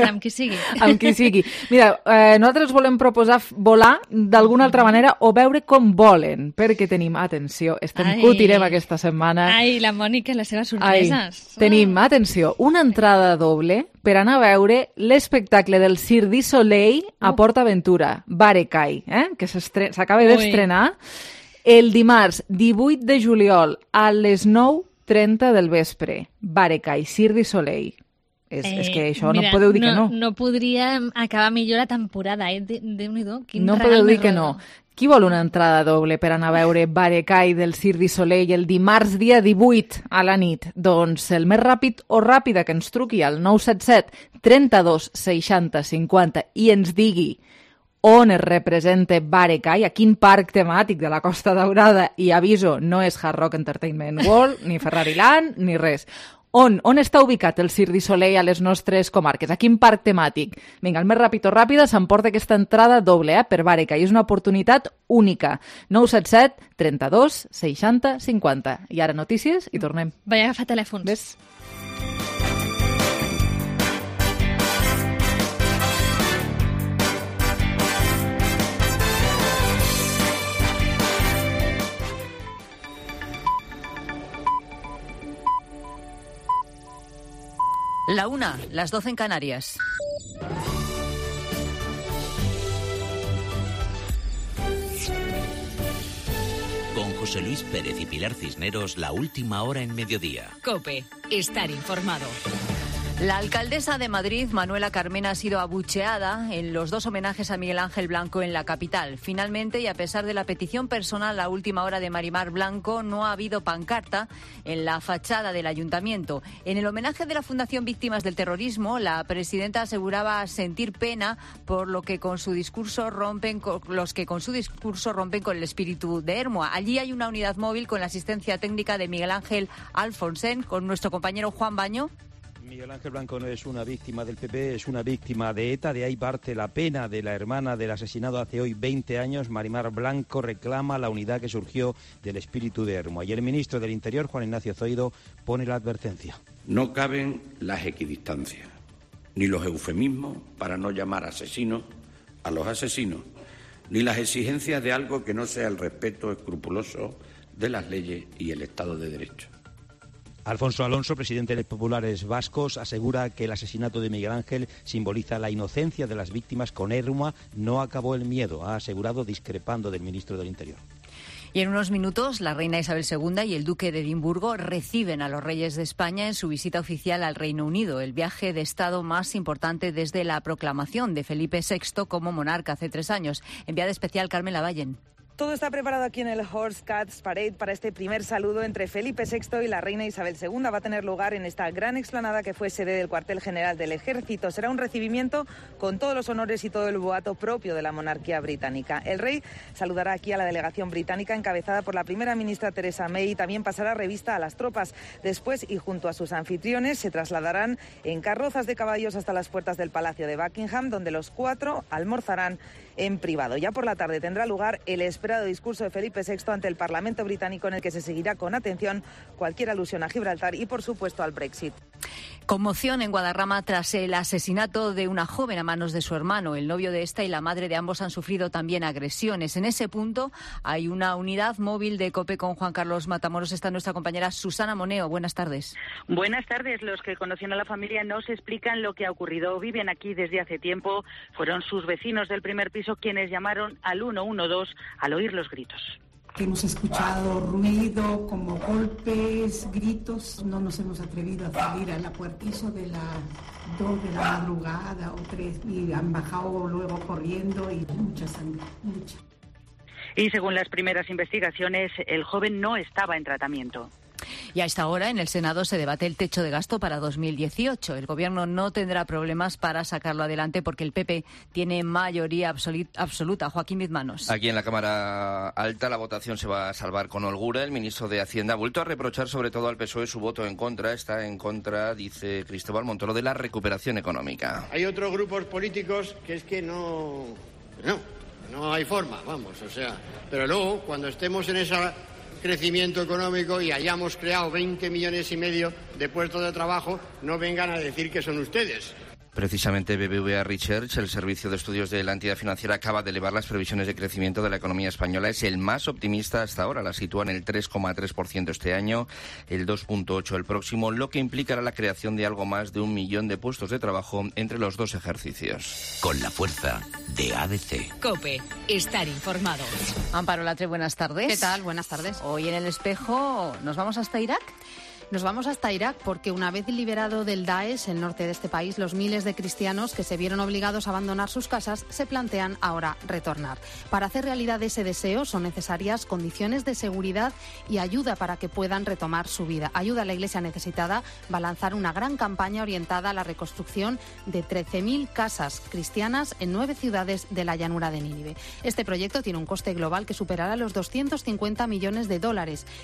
Amb qui sigui. Amb qui sigui. Mira, nosaltres volem proposar volar d'alguna altra manera o veure com volen, perquè tenim, atenció, cutirem aquesta setmana. Ai, la Mònica i les seves sorpreses. Tenim, atenció, una entrada doble per anar a veure l'espectacle del Cirque du Soleil a PortAventura, Barecai, que s'acaba d'estrenar el dimarts 18 de juliol a les 9:30 del vespre. Barecai, Cirque du Soleil. És que això mira, no podeu dir que no. No podríem acabar millor la temporada, Déu-n'hi-do. No podeu dir que no. Qui vol una entrada doble per anar a veure Barecai del Cirque du Soleil el dimarts dia 18 a la nit? Doncs el més ràpid o ràpida que ens truqui al 977 32 60 50 i ens digui on es representa Barecai, a quin parc temàtic de la Costa Daurada, i aviso, no és Hard Rock Entertainment World, ni Ferrari Land, ni res. On està ubicat el Cirque du Soleil a les nostres comarques? A quin parc temàtic? Vinga, el més ràpid o ràpida s'emporta aquesta entrada doble per Bàrica i és una oportunitat única. 977 32 60 50. I ara notícies i tornem. Vaig agafar telèfons. Ves? La 1, las 12 en Canarias. Con José Luis Pérez y Pilar Cisneros, la última hora en mediodía. COPE, estar informado. La alcaldesa de Madrid, Manuela Carmena, ha sido abucheada en los 2 homenajes a Miguel Ángel Blanco en la capital. Finalmente, y a pesar de la petición personal a última hora de Marimar Blanco, no ha habido pancarta en la fachada del ayuntamiento. En el homenaje de la Fundación Víctimas del Terrorismo, la presidenta aseguraba sentir pena por lo que con su discurso rompen con el espíritu de Ermua. Allí hay una unidad móvil con la asistencia técnica de Miguel Ángel Alfonsén, con nuestro compañero Juan Baño. Miguel Ángel Blanco no es una víctima del PP, es una víctima de ETA. De ahí parte la pena de la hermana del asesinado hace hoy 20 años. Marimar Blanco reclama la unidad que surgió del espíritu de Ermua. Y el ministro del Interior, Juan Ignacio Zoido, pone la advertencia. No caben las equidistancias, ni los eufemismos para no llamar asesinos a los asesinos, ni las exigencias de algo que no sea el respeto escrupuloso de las leyes y el Estado de Derecho. Alfonso Alonso, presidente de los populares vascos, asegura que el asesinato de Miguel Ángel simboliza la inocencia de las víctimas. Con Ermua no acabó el miedo, ha asegurado, discrepando del ministro del Interior. Y en unos minutos, la reina Isabel II y el duque de Edimburgo reciben a los reyes de España en su visita oficial al Reino Unido, el viaje de Estado más importante desde la proclamación de Felipe VI como monarca hace 3 años. Enviada especial Carmen Lavallen. Todo está preparado aquí en el Horse Cats Parade para este primer saludo entre Felipe VI y la reina Isabel II. Va a tener lugar en esta gran explanada que fue sede del cuartel general del Ejército. Será un recibimiento con todos los honores y todo el boato propio de la monarquía británica. El rey saludará aquí a la delegación británica encabezada por la primera ministra Theresa May y también pasará revista a las tropas. Después, y junto a sus anfitriones, se trasladarán en carrozas de caballos hasta las puertas del Palacio de Buckingham, donde los 4 almorzarán en privado. Ya por la tarde tendrá lugar el esperado discurso de Felipe VI ante el Parlamento británico, en el que se seguirá con atención cualquier alusión a Gibraltar y, por supuesto, al Brexit. Conmoción en Guadarrama tras el asesinato de una joven a manos de su hermano. El novio de esta y la madre de ambos han sufrido también agresiones. En ese punto hay una unidad móvil de COPE con Juan Carlos Matamoros. Está nuestra compañera Susana Moneo. Buenas tardes. Buenas tardes. Los que conocen a la familia no se explican lo que ha ocurrido. Viven aquí desde hace tiempo. Fueron sus vecinos del primer piso quienes llamaron al 112 al oír los gritos. Hemos escuchado ruido, como golpes, gritos. No nos hemos atrevido a salir a la puertizo de las 2 de la madrugada o 3 y han bajado luego corriendo y mucha sangre, mucha. Y según las primeras investigaciones, el joven no estaba en tratamiento. Y a esta hora en el Senado se debate el techo de gasto para 2018. El Gobierno no tendrá problemas para sacarlo adelante porque el PP tiene mayoría absoluta. Joaquín Bizmanos. Aquí en la Cámara Alta la votación se va a salvar con holgura. El ministro de Hacienda ha vuelto a reprochar sobre todo al PSOE su voto en contra. Está en contra, dice Cristóbal Montoro, de la recuperación económica. Hay otros grupos políticos que es que no hay forma, vamos, o sea. Pero luego, cuando estemos en esa crecimiento económico y hayamos creado 20 millones y medio de puestos de trabajo, no vengan a decir que son ustedes. Precisamente BBVA Research, el servicio de estudios de la entidad financiera, acaba de elevar las previsiones de crecimiento de la economía española. Es el más optimista hasta ahora. La sitúa en el 3,3% este año, el 2,8% el próximo, lo que implicará la creación de algo más de 1 millón de puestos de trabajo entre los 2 ejercicios. Con la fuerza de ADC. COPE, estar informado. Amparo Latre, buenas tardes. ¿Qué tal? Buenas tardes. Hoy en El Espejo, ¿nos vamos hasta Irak? Nos vamos hasta Irak porque una vez liberado del Daesh, el norte de este país, los miles de cristianos que se vieron obligados a abandonar sus casas se plantean ahora retornar. Para hacer realidad ese deseo son necesarias condiciones de seguridad y ayuda para que puedan retomar su vida. Ayuda a la Iglesia Necesitada va a lanzar una gran campaña orientada a la reconstrucción de 13.000 casas cristianas en 9 ciudades de la llanura de Nínive. Este proyecto tiene un coste global que superará los $250 millones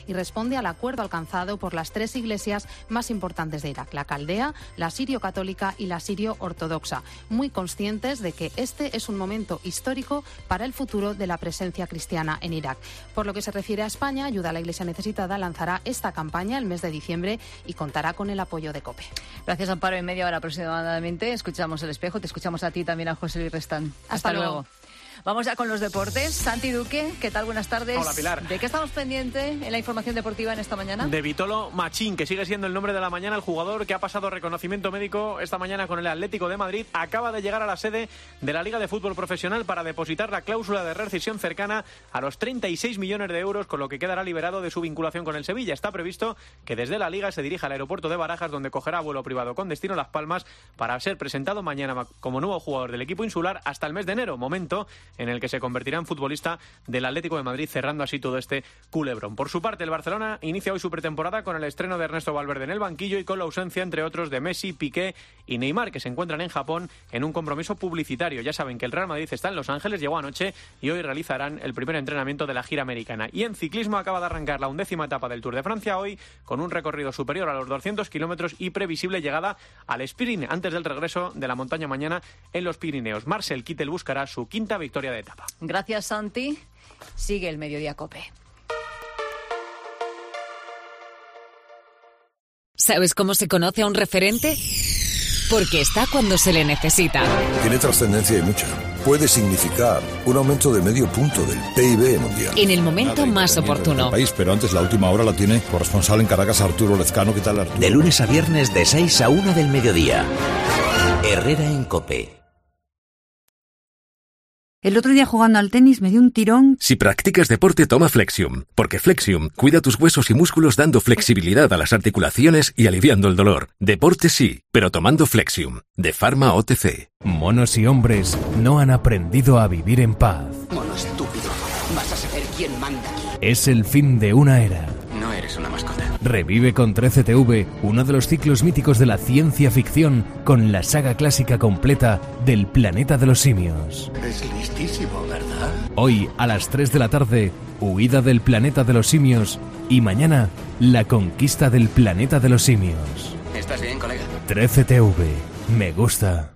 y responde al acuerdo alcanzado por las 3 iglesias más importantes de Irak, la caldea, la sirio-católica y la sirio-ortodoxa, muy conscientes de que este es un momento histórico para el futuro de la presencia cristiana en Irak. Por lo que se refiere a España, Ayuda a la Iglesia Necesitada lanzará esta campaña el mes de diciembre y contará con el apoyo de COPE. Gracias, Amparo. En media hora aproximadamente escuchamos El Espejo. Te escuchamos a ti también, a José Luis Restán. Hasta luego. Vamos ya con los deportes. Santi Duque, ¿qué tal? Buenas tardes. Hola, Pilar. ¿De qué estamos pendientes en la información deportiva en esta mañana? De Vitolo Machín, que sigue siendo el nombre de la mañana, el jugador que ha pasado reconocimiento médico esta mañana con el Atlético de Madrid, acaba de llegar a la sede de la Liga de Fútbol Profesional para depositar la cláusula de rescisión cercana a los 36 millones de euros, con lo que quedará liberado de su vinculación con el Sevilla. Está previsto que desde la Liga se dirija al aeropuerto de Barajas, donde cogerá vuelo privado con destino a Las Palmas para ser presentado mañana como nuevo jugador del equipo insular hasta el mes de enero, momento en el que se convertirá en futbolista del Atlético de Madrid, cerrando así todo este culebrón. Por su parte, el Barcelona inicia hoy su pretemporada con el estreno de Ernesto Valverde en el banquillo y con la ausencia, entre otros, de Messi, Piqué y Neymar, que se encuentran en Japón en un compromiso publicitario. Ya saben que el Real Madrid está en Los Ángeles, llegó anoche y hoy realizarán el primer entrenamiento de la gira americana. Y en ciclismo acaba de arrancar la 11ª etapa del Tour de Francia hoy, con un recorrido superior a los 200 kilómetros y previsible llegada al sprint antes del regreso de la montaña mañana en los Pirineos. Marcel Kittel buscará su 5ª victoria de etapa. Gracias, Santi. Sigue el Mediodía COPE. ¿Sabes cómo se conoce a un referente? Porque está cuando se le necesita. Tiene trascendencia y mucha. Puede significar un aumento de medio punto del PIB mundial. En el momento más oportuno. País, pero antes la última hora la tiene corresponsal en Caracas, Arturo Lezcano. ¿Qué tal, Arturo? De lunes a viernes de 6 a 1 del mediodía. Herrera en COPE. El otro día jugando al tenis me dio un tirón. Si practicas deporte, toma Flexium, porque Flexium cuida tus huesos y músculos dando flexibilidad a las articulaciones y aliviando el dolor. Deporte sí, pero tomando Flexium, de Pharma OTC. Monos y hombres no han aprendido a vivir en paz. Mono estúpido, vas a saber quién manda aquí. Es el fin de una era. No eres una mascota. Revive con 13TV uno de los ciclos míticos de la ciencia ficción con la saga clásica completa del Planeta de los Simios. Es listísimo, ¿verdad? Hoy a las 3 de la tarde, Huida del Planeta de los Simios, y mañana, La conquista del Planeta de los Simios. ¿Estás bien, colega? 13TV. Me gusta.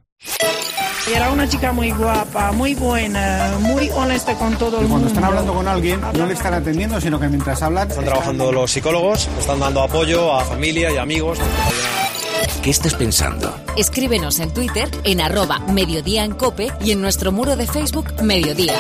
Era una chica muy guapa, muy buena, muy honesta con todo el mundo. Cuando están hablando con alguien, no le están atendiendo, sino que mientras hablan... Están trabajando los psicólogos, están dando apoyo a familia y amigos. ¿Qué estás pensando? Escríbenos en Twitter en @Mediodía en COPE y en nuestro muro de Facebook Mediodía.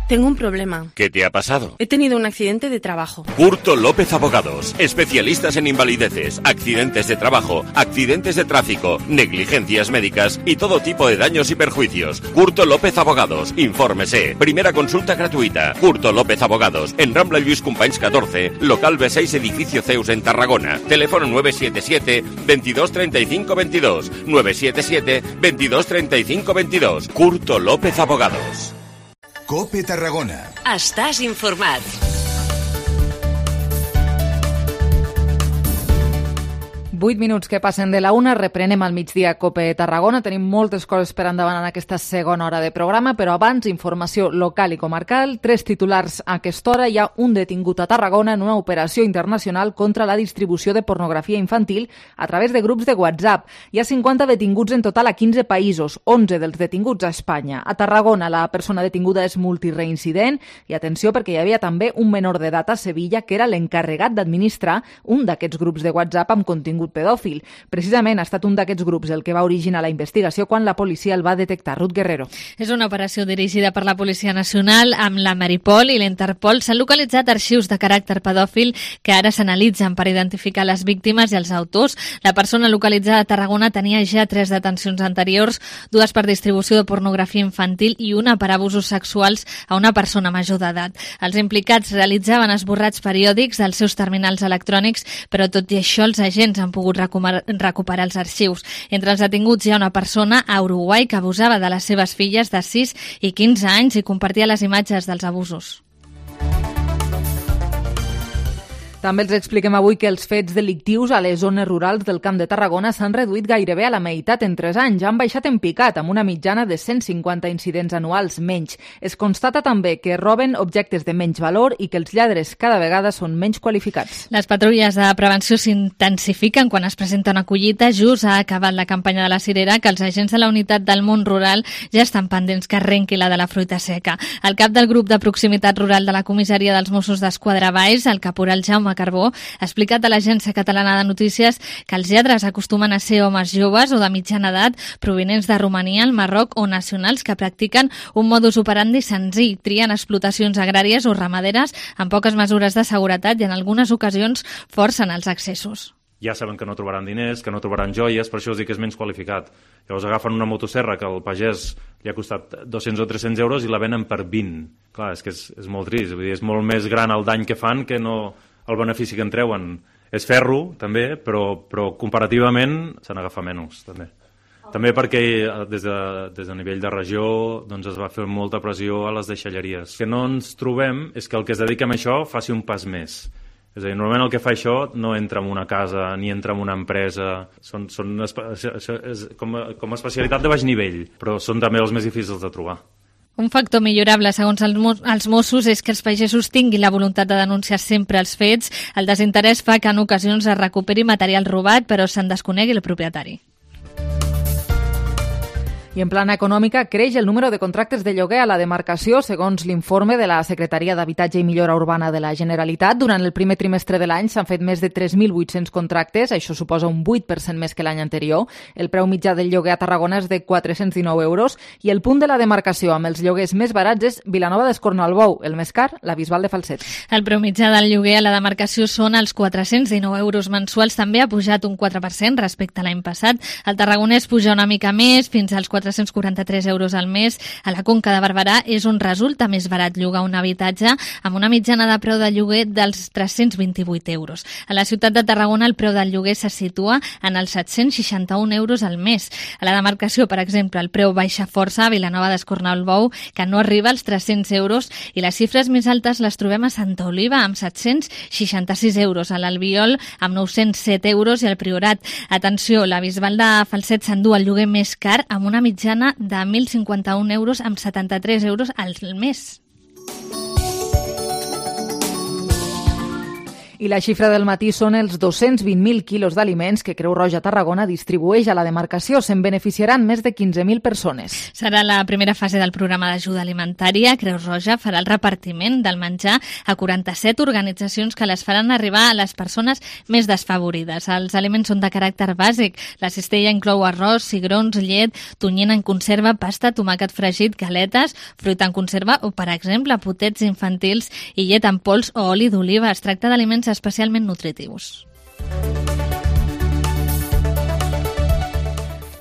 Tengo un problema. ¿Qué te ha pasado? He tenido un accidente de trabajo. Curto López Abogados, especialistas en invalideces, accidentes de trabajo, accidentes de tráfico, negligencias médicas y todo tipo de daños y perjuicios. Curto López Abogados, infórmese. Primera consulta gratuita. Curto López Abogados, en Rambla Lluís Companys 14, local B6, edificio Zeus en Tarragona. Teléfono 977 22 35 22. 977 22 35 22. Curto López Abogados. COPE Tarragona. Estàs informat. Vuit minuts que passen de la una, reprenem al migdia COPE Tarragona. Tenim moltes coses per endavant en aquesta segona hora de programa, però abans, informació local i comarcal. 3 titulars a aquesta hora. Hi ha un detingut a Tarragona en una operació internacional contra la distribució de pornografia infantil a través de grups de WhatsApp. Hi ha 50 detinguts en total a 15 països, 11 dels detinguts a Espanya. A Tarragona la persona detinguda és multireincident i atenció perquè hi havia també un menor d'edat a Sevilla que era l'encarregat d'administrar un d'aquests grups de WhatsApp amb contingut pedòfil. Precisament ha estat un d'aquests grups el que va originar la investigació quan la policia el va detectar. Ruth Guerrero. És una operació dirigida per la Policia Nacional amb la Maripol i l'Interpol. S'han localitzat arxius de caràcter pedòfil que ara s'analitzen per identificar les víctimes i els autors. La persona localitzada a Tarragona tenia ja 3 detencions anteriors, 2 per distribució de pornografia infantil i una per abusos sexuals a una persona major d'edat. Els implicats realitzaven esborrats periòdics dels seus terminals electrònics, però tot i això els agents han pogut recuperar els arxius. Entre els detinguts hi ha una persona a Uruguai que abusava de les seves filles de 6 i 15 anys i compartia les imatges dels abusos. També els expliquem avui que els fets delictius a les zones rurals del Camp de Tarragona s'han reduït gairebé a la meitat en 3 anys. Han baixat en picat, amb una mitjana de 150 incidents anuals menys. Es constata també que roben objectes de menys valor i que els lladres cada vegada són menys qualificats. Les patrulles de prevenció s'intensifiquen quan es presenta una collita. Just ha acabat la campanya de la cirera, que els agents de la unitat del món rural ja estan pendents que arrenqui la de la fruita seca. El cap del grup de proximitat rural de la comissaria dels Mossos d'Esquadra Valls, el caporal Jaume Carbó, ha explicat a l'Agència Catalana de Notícies que els lladres acostumen a ser homes joves o de mitjana edat provinents de Romania, el Marroc o nacionals que practiquen un modus operandi senzill, trien explotacions agràries o ramaderes amb poques mesures de seguretat i en algunes ocasions forcen els accessos. Ja saben que no trobaran diners, que no trobaran joies, per això us dic que és menys qualificat. Llavors agafen una motosserra que al pagès li ha costat 200 o 300 euros i la venen per 20. Clar, és que és molt trist, vull dir, és molt més gran el dany que fan que no el benefici que en treuen. És ferro, també, però comparativament se n'agafa menys, també. També perquè des de nivell de regió doncs es va fer molta pressió a les deixalleries. El que no ens trobem és que el que es dedica a això faci un pas més. És a dir, normalment el que fa això no entra en una casa ni entra en una empresa. És com a especialitat de baix nivell, però són també els més difícils de trobar. Un factor millorable, segons els Mossos, és que els pagesos tinguin la voluntat de denunciar sempre els fets. El desinterès fa que en ocasions es recuperi material robat, però se'n desconegui el propietari. I en plana econòmica creix el número de contractes de lloguer a la demarcació, segons l'informe de la Secretaria d'Habitatge i Millora Urbana de la Generalitat. Durant el primer trimestre de l'any s'han fet més de 3.800 contractes, això suposa un 8% més que l'any anterior. El preu mitjà del lloguer a Tarragona és de 419 euros i el punt de la demarcació amb els lloguers més barats és Vilanova d'Escornalbou, el més car, la Bisbal de Falset. El preu mitjà del lloguer a la demarcació són els 419 euros mensuals, també ha pujat un 4% respecte a l'any passat. El tarragonès puja una mica més, fins als 443 euros al mes. A la Conca de Barberà és on resulta més barat llogar un habitatge, amb una mitjana de preu de lloguer dels 328 euros. A la ciutat de Tarragona el preu del lloguer se situa en els 761 euros al mes. A la demarcació, per exemple, el preu baixa força a Vilanova d'Escornalbou, que no arriba als 300 euros, i les xifres més altes les trobem a Santa Oliva, amb 766 euros, a l'Albiol, amb 907 euros, i al Priorat. Atenció, la Bisbal de Falset s'endú el lloguer més car, amb una mitjana de 1.051 euros amb 73 euros al mes. I la xifra del matí són els 220.000 quilos d'aliments que Creu Roja Tarragona distribueix a la demarcació. Se'n beneficiaran més de 15.000 persones. Serà la primera fase del programa d'ajuda alimentària. Creu Roja farà el repartiment del menjar a 47 organitzacions que les faran arribar a les persones més desfavorides. Els aliments són de caràcter bàsic. La cistella inclou arròs, cigrons, llet, tonyina en conserva, pasta, tomàquet fregit, galetes, fruita en conserva o, per exemple, potets infantils i llet en pols o oli d'oliva. Es tracta d'aliments especialment nutritius.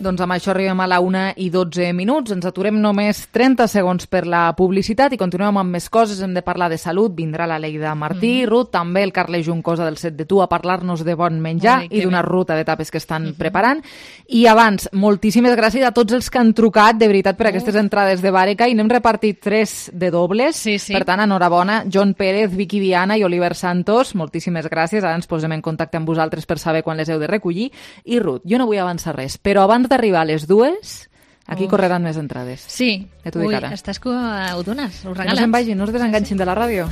Doncs amb això arribem a la 1:12. Ens aturem només 30 segons per la publicitat i continuem amb més coses. Hem de parlar de salut. Vindrà la Leida Martí, Ruth, també el Carles Juncosa del Set de Tu a parlar-nos de bon menjar i d'una ruta d'etapes que estan preparant. I abans, moltíssimes gràcies a tots els que han trucat, de veritat, per aquestes entrades de Bàreca, i n'hem repartit 3 de dobles. Sí. Per tant, enhorabona. John Pérez, Vicky Viana i Oliver Santos, moltíssimes gràcies. Ara ens posem en contacte amb vosaltres per saber quan les heu de recollir. I Ruth, jo no vull avançar res, però abans d'arribar a les 2, aquí correran més entrades. Sí. T'ho dic ara. Estàs que ho dones, ho regales. Que no se'n vagin, no es desenganxin de la ràdio.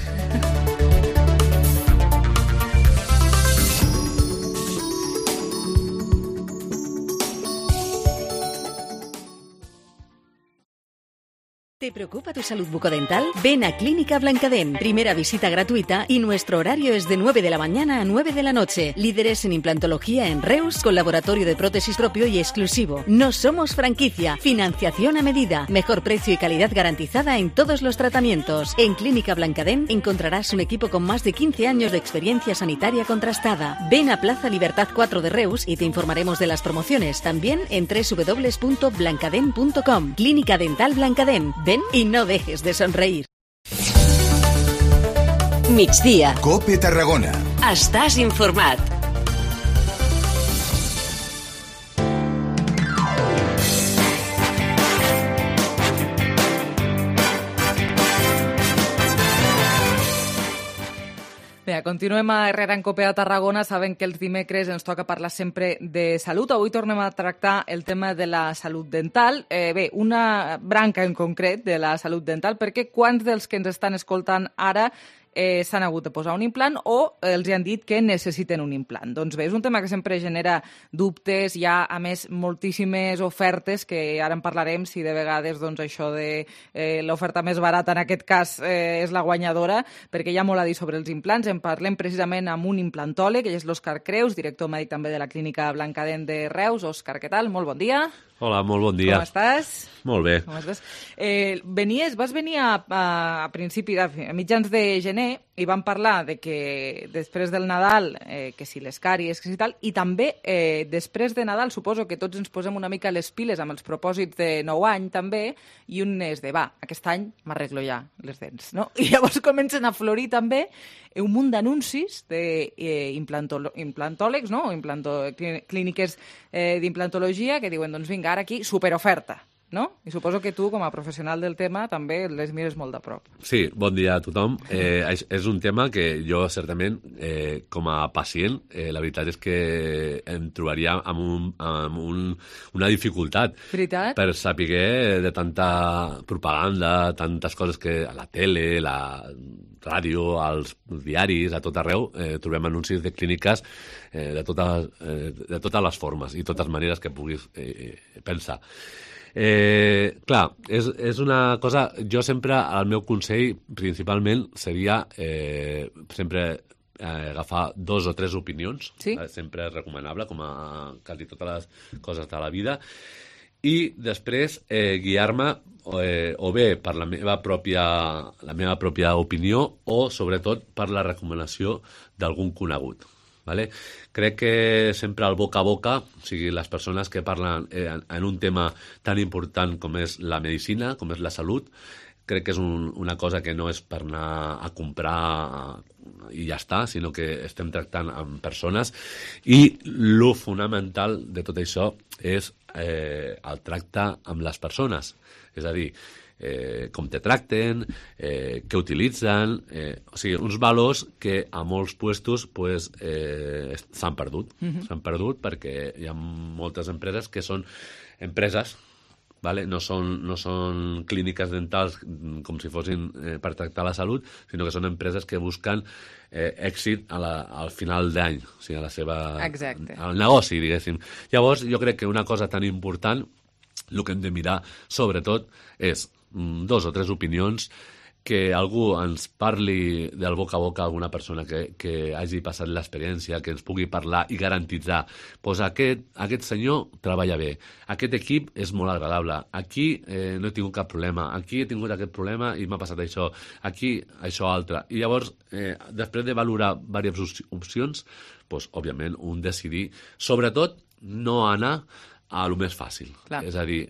¿Te preocupa tu salud bucodental? Ven a Clínica Blancadent. Primera visita gratuita y nuestro horario es de 9 de la mañana a 9 de la noche. Líderes en implantología en Reus, con laboratorio de prótesis propio y exclusivo. No somos franquicia. Financiación a medida. Mejor precio y calidad garantizada en todos los tratamientos. En Clínica Blancadent encontrarás un equipo con más de 15 años de experiencia sanitaria contrastada. Ven a Plaza Libertad 4 de Reus y te informaremos de las promociones. También en www.blancadent.com. Clínica Dental Blancadent. Ven y no dejes de sonreír. Migdia. COPE Tarragona. Estàs informat. Bé, continuem a Herrera en Cope a Tarragona. Saben que els dimecres ens toca parlar sempre de salut. Avui tornem a tractar el tema de la salut dental. Bé, una branca en concret de la salut dental, perquè quants dels que ens estan escoltant ara s'han hagut de posar un implant o els han dit que necessiten un implant. Doncs bé, és un tema que sempre genera dubtes. Hi ha, a més, moltíssimes ofertes, que ara en parlarem, si de vegades doncs, això de l'oferta més barata, en aquest cas, és la guanyadora, perquè hi ha molt a dir sobre els implants. En parlem precisament amb un implantòleg, que és l'Òscar Creus, director mèdic també de la Clínica Blancadent de Reus. Òscar, què tal? Molt bon dia. Hola, molt bon dia. Com estàs? Molt bé. Com estàs? Vas venir a mitjans de gener i vam parlar de que després del Nadal, que si les càries, que si tal, i també després de Nadal suposo que tots ens posem una mica les piles amb els propòsits de nou any també, i un és de, aquest any m'arreglo ja les dents, no? I llavors comencen a florir també un munt d'anuncis d'implantòlegs, no? Clíniques d'implantologia que diuen, doncs vinga, ara aquí, superoferta, no? I suposo que tu, com a professional del tema, també les mires molt de prop. Sí, bon dia a tothom. És un tema que jo, certament, com a pacient, la veritat és que em trobaria amb una dificultat. Veritat? Per saber de tanta propaganda, tantes coses que a la tele, la ràdio, als diaris, a tot arreu, trobem anuncis de clíniques de totes les formes i totes maneres que puguis pensar. Clar, és una cosa... Jo sempre, el meu consell principalment seria sempre agafar 2 o 3 opinions. Sí? Sempre és recomanable, com a quasi totes les coses de la vida. I després guiar-me o bé per la meva pròpia opinió o, sobretot, per la recomanació d'algun conegut. Vale? Crec que sempre el boca a boca, o sigui, les persones que parlen en un tema tan important com és la medicina, com és la salut, crec que és una cosa que no és per anar a comprar i ja està, sinó que estem tractant amb persones, i lo fonamental de tot això és el tracte amb les persones. És a dir, com te tracten, què utilitzen, o sigui, uns valors que a molts puestos s'han perdut. S'han perdut perquè hi ha moltes empreses que són empreses, vale? No són clíniques dentals com si fossin per tractar la salut, sinó que són empreses que busquen èxit al final d'any, o sigui, a la seva... Exacte. Al negoci, diguéssim. Llavors, jo crec que una cosa tan important, el que hem de mirar, sobretot, és 2 o 3 opinions, que algú ens parli del boca a boca, alguna persona que hagi passat l'experiència, que ens pugui parlar i garantitzar, doncs aquest senyor treballa bé, aquest equip és molt agradable, aquí no he tingut cap problema, aquí he tingut aquest problema i m'ha passat això, aquí això altre. I llavors, després de valorar diverses opcions, doncs, òbviament, un decidir, sobretot, no anar a lo més fàcil. Clar. És a dir,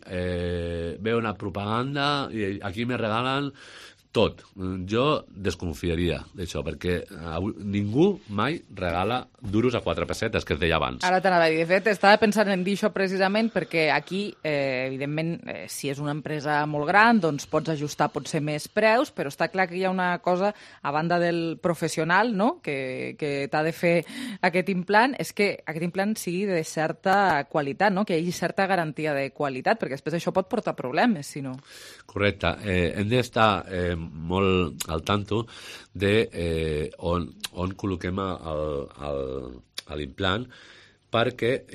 veu una propaganda i aquí me regalen tot. Jo desconfiaria d'això, perquè ningú mai regala duros a 4 pessetes, que es deia abans. Ara t'anava a dir, de fet, estava pensant en dir això precisament perquè aquí, evidentment, si és una empresa molt gran, doncs pots ajustar potser més preus, però està clar que hi ha una cosa, a banda del professional, no?, que t'ha de fer aquest implant, és que aquest implant sigui de certa qualitat, no?, que hi hagi certa garantia de qualitat, perquè després això pot portar problemes, si no. Correcte. Hem d'estar molt al tanto de on col·loquem l'implant, perquè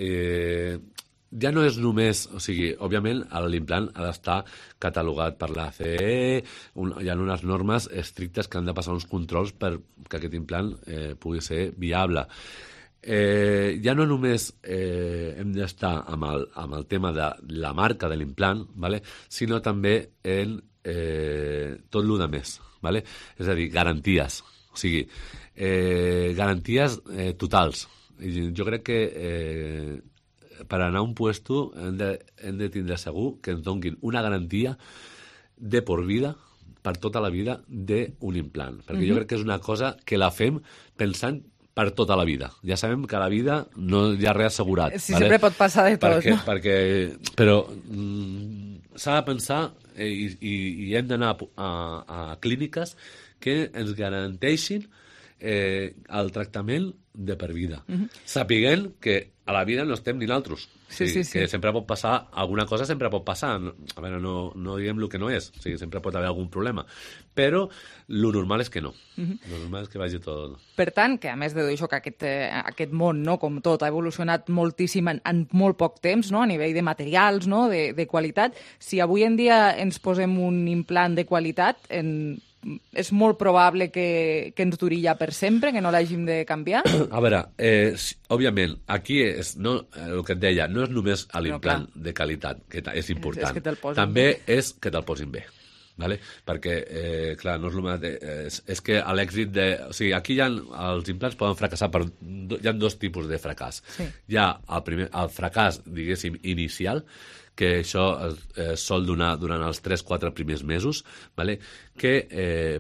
ja no és només... O sigui, òbviament, l'implant ha d'estar catalogat per la CE, hi ha unes normes estrictes que han de passar uns controls perquè aquest implant pugui ser viable. Ja no només hem d'estar amb el tema de la marca de l'implant, ¿vale?, sinó també en tot el de més, ¿vale? És a dir, garanties, o sigui, garanties totals. Jo crec que per anar a un puesto hem de tindre segur que ens donguin una garantia de por vida, per tota la vida, d'un implant, perquè jo crec que és una cosa que la fem pensant per tota la vida. Ja sabem que a la vida no hi ha res assegurat. Sí, ¿vale? Sempre pot passar de tot, no? Però s'ha de pensar i hem d'anar a clíniques que ens garanteixin el tractament de per vida. Sapiguent que a la vida no estem ni nosaltres. Sí. Que sempre pot passar, alguna cosa sempre pot passar. A veure, no diguem el que no és. O sigui, sempre pot haver algun problema. Però lo normal és que no. Lo normal és que vagi tot... Per tant, que a més de això, que aquest món, no, com tot, ha evolucionat moltíssim en molt poc temps, no, a nivell de materials, no, de qualitat, si avui en dia ens posem un implant de qualitat, és molt probable que ens duri ja per sempre, que no l'hàgim de canviar? A veure, òbviament, aquí és el que et deia, no és només l'implant de qualitat, que és important, també és que te'l posin bé. Vale? Perquè, clar, no és el mateix. És que l'èxit de... O sigui, aquí els implants poden fracassar hi ha dos tipus de fracàs. Hi ha el fracàs, diguéssim, inicial, que això es sol donar durant els 3-4 primers mesos, vale? Que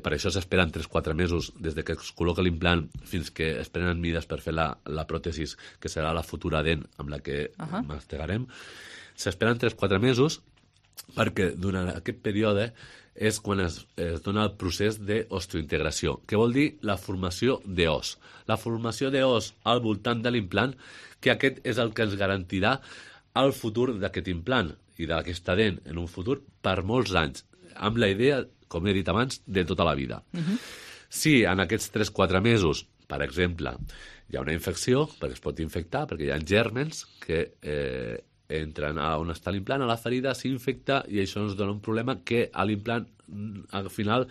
per això s'esperen 3-4 mesos des de que es col·loca l'implant fins que es prenen mides per fer la pròtesis, que serà la futura dent amb la que mastegarem. S'esperen 3-4 mesos perquè durant aquest període és quan es dona el procés d'osteointegració, que vol dir la formació d'os. La formació d'os al voltant de l'implant, que aquest és el que ens garantirà el futur d'aquest implant i d'aquesta dent en un futur per molts anys, amb la idea, com he dit abans, de tota la vida. Si en aquests 3-4 mesos, per exemple, hi ha una infecció, perquè es pot infectar, perquè hi ha gèrmens que entren a on està l'implant, a la ferida, s'infecta i això ens dona un problema que a l'implant al final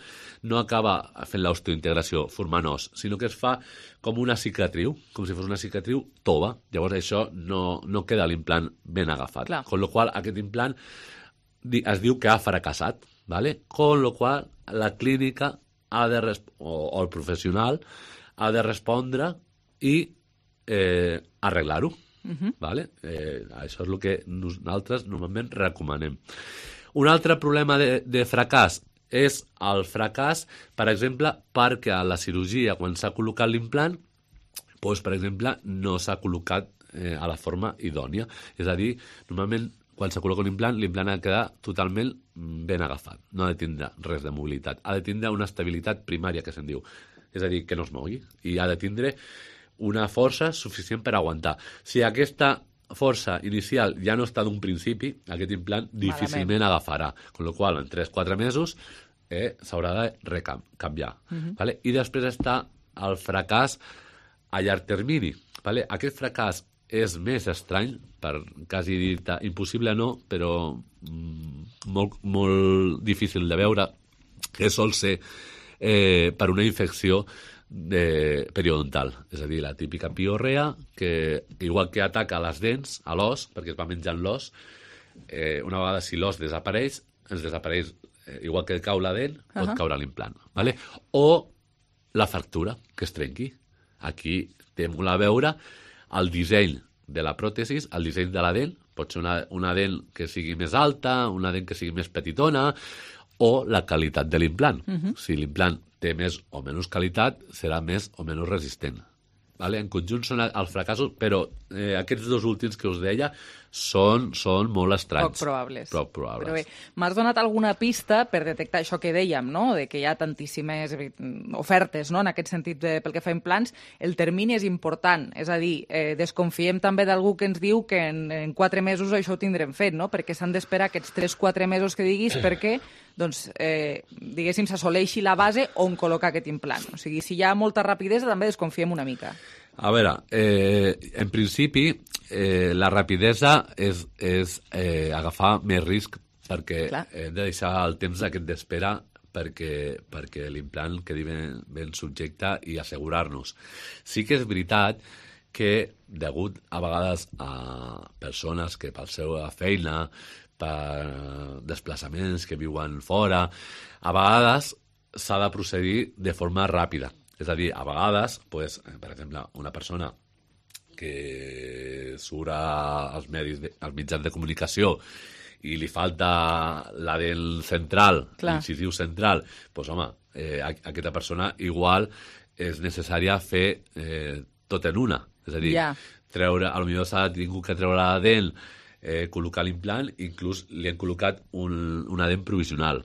no acaba fent l'osteointegració, formant os, sinó que es fa com una cicatriu, com si fos una cicatriu tova. Llavors això no queda l'implant ben agafat. Con lo qual aquest implant es diu que ha fracassat, ¿vale? Con lo qual la clínica o el professional ha de respondre i arreglar-ho. Vale? Això és el que nosaltres normalment recomanem. Un altre problema de fracàs és el fracàs, per exemple, perquè a la cirurgia, quan s'ha col·locat l'implant, doncs, per exemple, no s'ha col·locat a la forma idònia. És a dir, normalment, quan s'ha col·locat l'implant ha de quedar totalment ben agafat. No ha de tindre res de mobilitat. Ha de tindre una estabilitat primària, que se'n diu. És a dir, que no es mogui. I ha de tindre una força suficient per aguantar. Si aquesta força inicial ja no està d'un principi, aquest implant difícilment agafarà. Con lo qual, en 3-4 mesos s'haurà de canviar. Vale? I després està el fracàs a llarg termini. Vale? Aquest fracàs és més estrany, per quasi dir-te impossible no, però molt difícil de veure, que sol ser per una infecció periodontal, és a dir, la típica piorrea, que igual que ataca les dents, a l'os, perquè es va menjant l'os, una vegada si l'os desapareix, ens desapareix, igual que cau la dent, pot caure l'implant. Vale? O la fractura, que es trenqui. Aquí té molt a veure el disseny de la pròtesis, el disseny de la dent, pot ser una dent que sigui més alta, una dent que sigui més petitona, o la qualitat de l'implant. Si l'implant té més o menys qualitat, serà més o menys resistent. Vale? En conjunt són els fracassos, però aquests dos últims que us deia són molt estranys. Poc probables. Però bé, m'has donat alguna pista per detectar això que dèiem, no? De que hi ha tantíssimes ofertes, no? En aquest sentit, pel que fa a implants, el termini és important. És a dir, desconfiem també d'algú que ens diu que en 4 mesos això ho tindrem fet, no? Perquè s'han d'esperar aquests 3-4 mesos que diguis perquè doncs, diguéssim, s'assoleixi la base on col·locar aquest implant. O sigui, si hi ha molta rapidesa, també desconfiem una mica. A veure, en principi, la rapidesa és agafar més risc perquè hem de deixar el temps aquest d'espera perquè l'implant quedi ben subjecte i assegurar-nos. Sí que és veritat que, degut a vegades a persones que per la seva feina, per desplaçaments que viuen fora, a vegades s'ha de procedir de forma ràpida. És a dir, a vegades, pues, per exemple, una persona que surt als mitjans de comunicació i li falta la dent central, l'incisiu central, doncs, home, aquesta persona igual és necessària fer tot en una. És a dir, potser s'ha tingut que treure la dent, col·locar l'implant, inclús li han col·locat una dent provisional.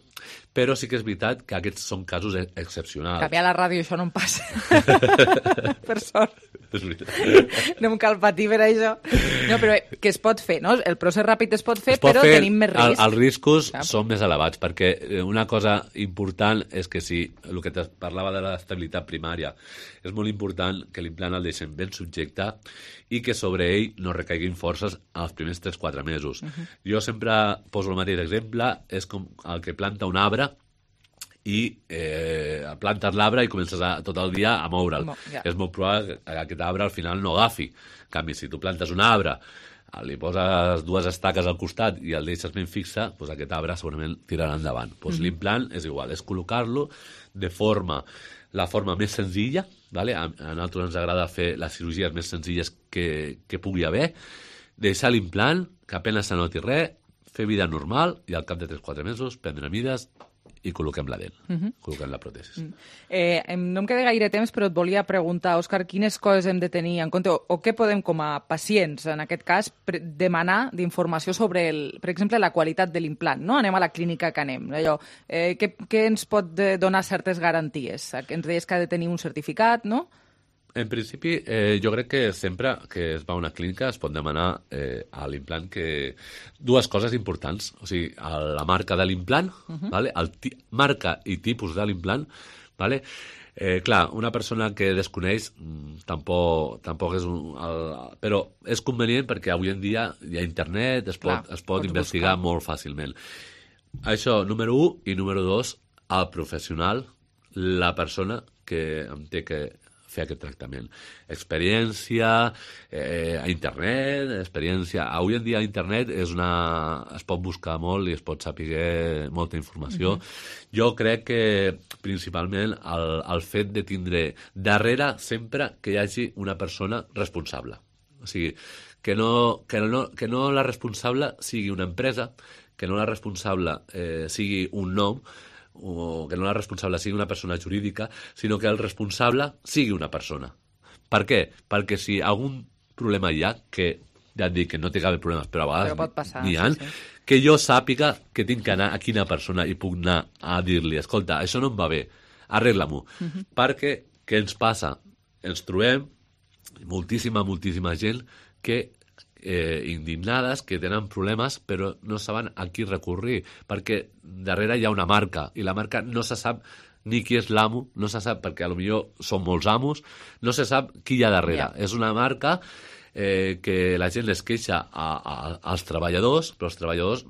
però sí que és veritat que aquests són casos excepcionals. Canviar la ràdio, això no em passa. Per sort. És veritat. No em cal patir per això. No, però que es pot fer, no? El procés ràpid es pot fer, però tenim més risc. Els riscos són més elevats, perquè una cosa important és que si el que parlava de l'estabilitat primària, és molt important que l'implant el deixem ben subjecte i que sobre ell no recaiguin forces els primers 3-4 mesos. Jo sempre poso el mateix exemple, és com el que planta un arbre i plantes l'arbre i comences tot el dia a moure'l. És molt probable que aquest arbre al final no agafi. En canvi, si tu plantes un arbre, li poses 2 estaques al costat i el deixes ben fixe, doncs aquest arbre segurament tirarà endavant. L'implant és igual, és col·locar-lo de la forma més senzilla, vale? A nosaltres ens agrada fer les cirurgies més senzilles que pugui haver, deixar l'implant, que apenas se noti res, fer vida normal i al cap de 3-4 mesos prendre mides i col·loquem la dent, col·loquem la pròtesi. No em queda gaire temps, però et volia preguntar, Òscar, quines coses hem de tenir en compte o què podem, com a pacients, en aquest cas, demanar d'informació sobre, per exemple, la qualitat de l'implant, no? Anem a la clínica que anem. Allò, què ens pot donar certes garanties? Ens deies que ha de tenir un certificat, no? En principi, jo crec que sempre que es va a una clínica es pot demanar a l'implant que dues coses importants, o sigui, la marca de l'implant, vale? Marca i tipus de l'implant, vale? Clar, una persona que desconeix tampoc és però és convenient perquè avui en dia hi ha internet, es pot investigar molt fàcilment. Això, número 1, i número 2, el professional, la persona que em té que fer aquest tractament. Experiència a internet, experiència... Avui en dia a internet es pot buscar molt i es pot saber molta informació. Jo crec que principalment el fet de tindre darrere sempre que hi hagi una persona responsable. O sigui, que no la responsable sigui una empresa, que no la responsable sigui un nom, o que no la responsable sigui una persona jurídica, sinó que el responsable sigui una persona. Per què? Perquè si algun problema hi ha, que ja et dic que no té cap problema, però a vegades n'hi ha, que jo sàpiga que tinc que anar a quina persona i puc anar a dir-li, escolta, això no em va bé, arregla-m'ho. Perquè, què ens passa? Ens trobem moltíssima gent que indignades, que tenen problemes però no saben a qui recurrir perquè darrere hi ha una marca i la marca no se sap ni qui és l'amo, no se sap perquè potser són molts amos, no se sap qui hi ha darrere. És una marca que la gent es queixa als treballadors, però els treballadors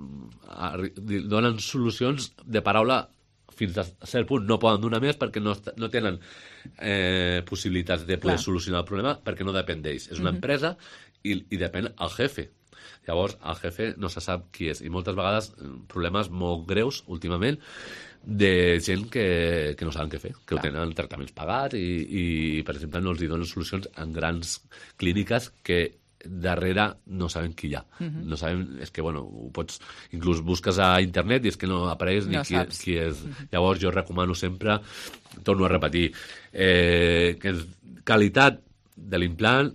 donen solucions de paraula fins a cert punt, no poden donar més perquè no tenen possibilitats de poder solucionar el problema perquè no depèn d'ells. És una empresa i depèn el jefe. Llavors, el jefe no se sap qui és. I moltes vegades problemes molt greus, últimament, de gent que no saben què fer, que tenen tractaments pagats i, per exemple, no els donen solucions en grans clíniques que darrere no saben qui hi ha. No saben, és que, bueno, ho pots... Inclús busques a internet i és que no apareix ni qui és. Llavors, jo recomano sempre, torno a repetir, qualitat de l'implant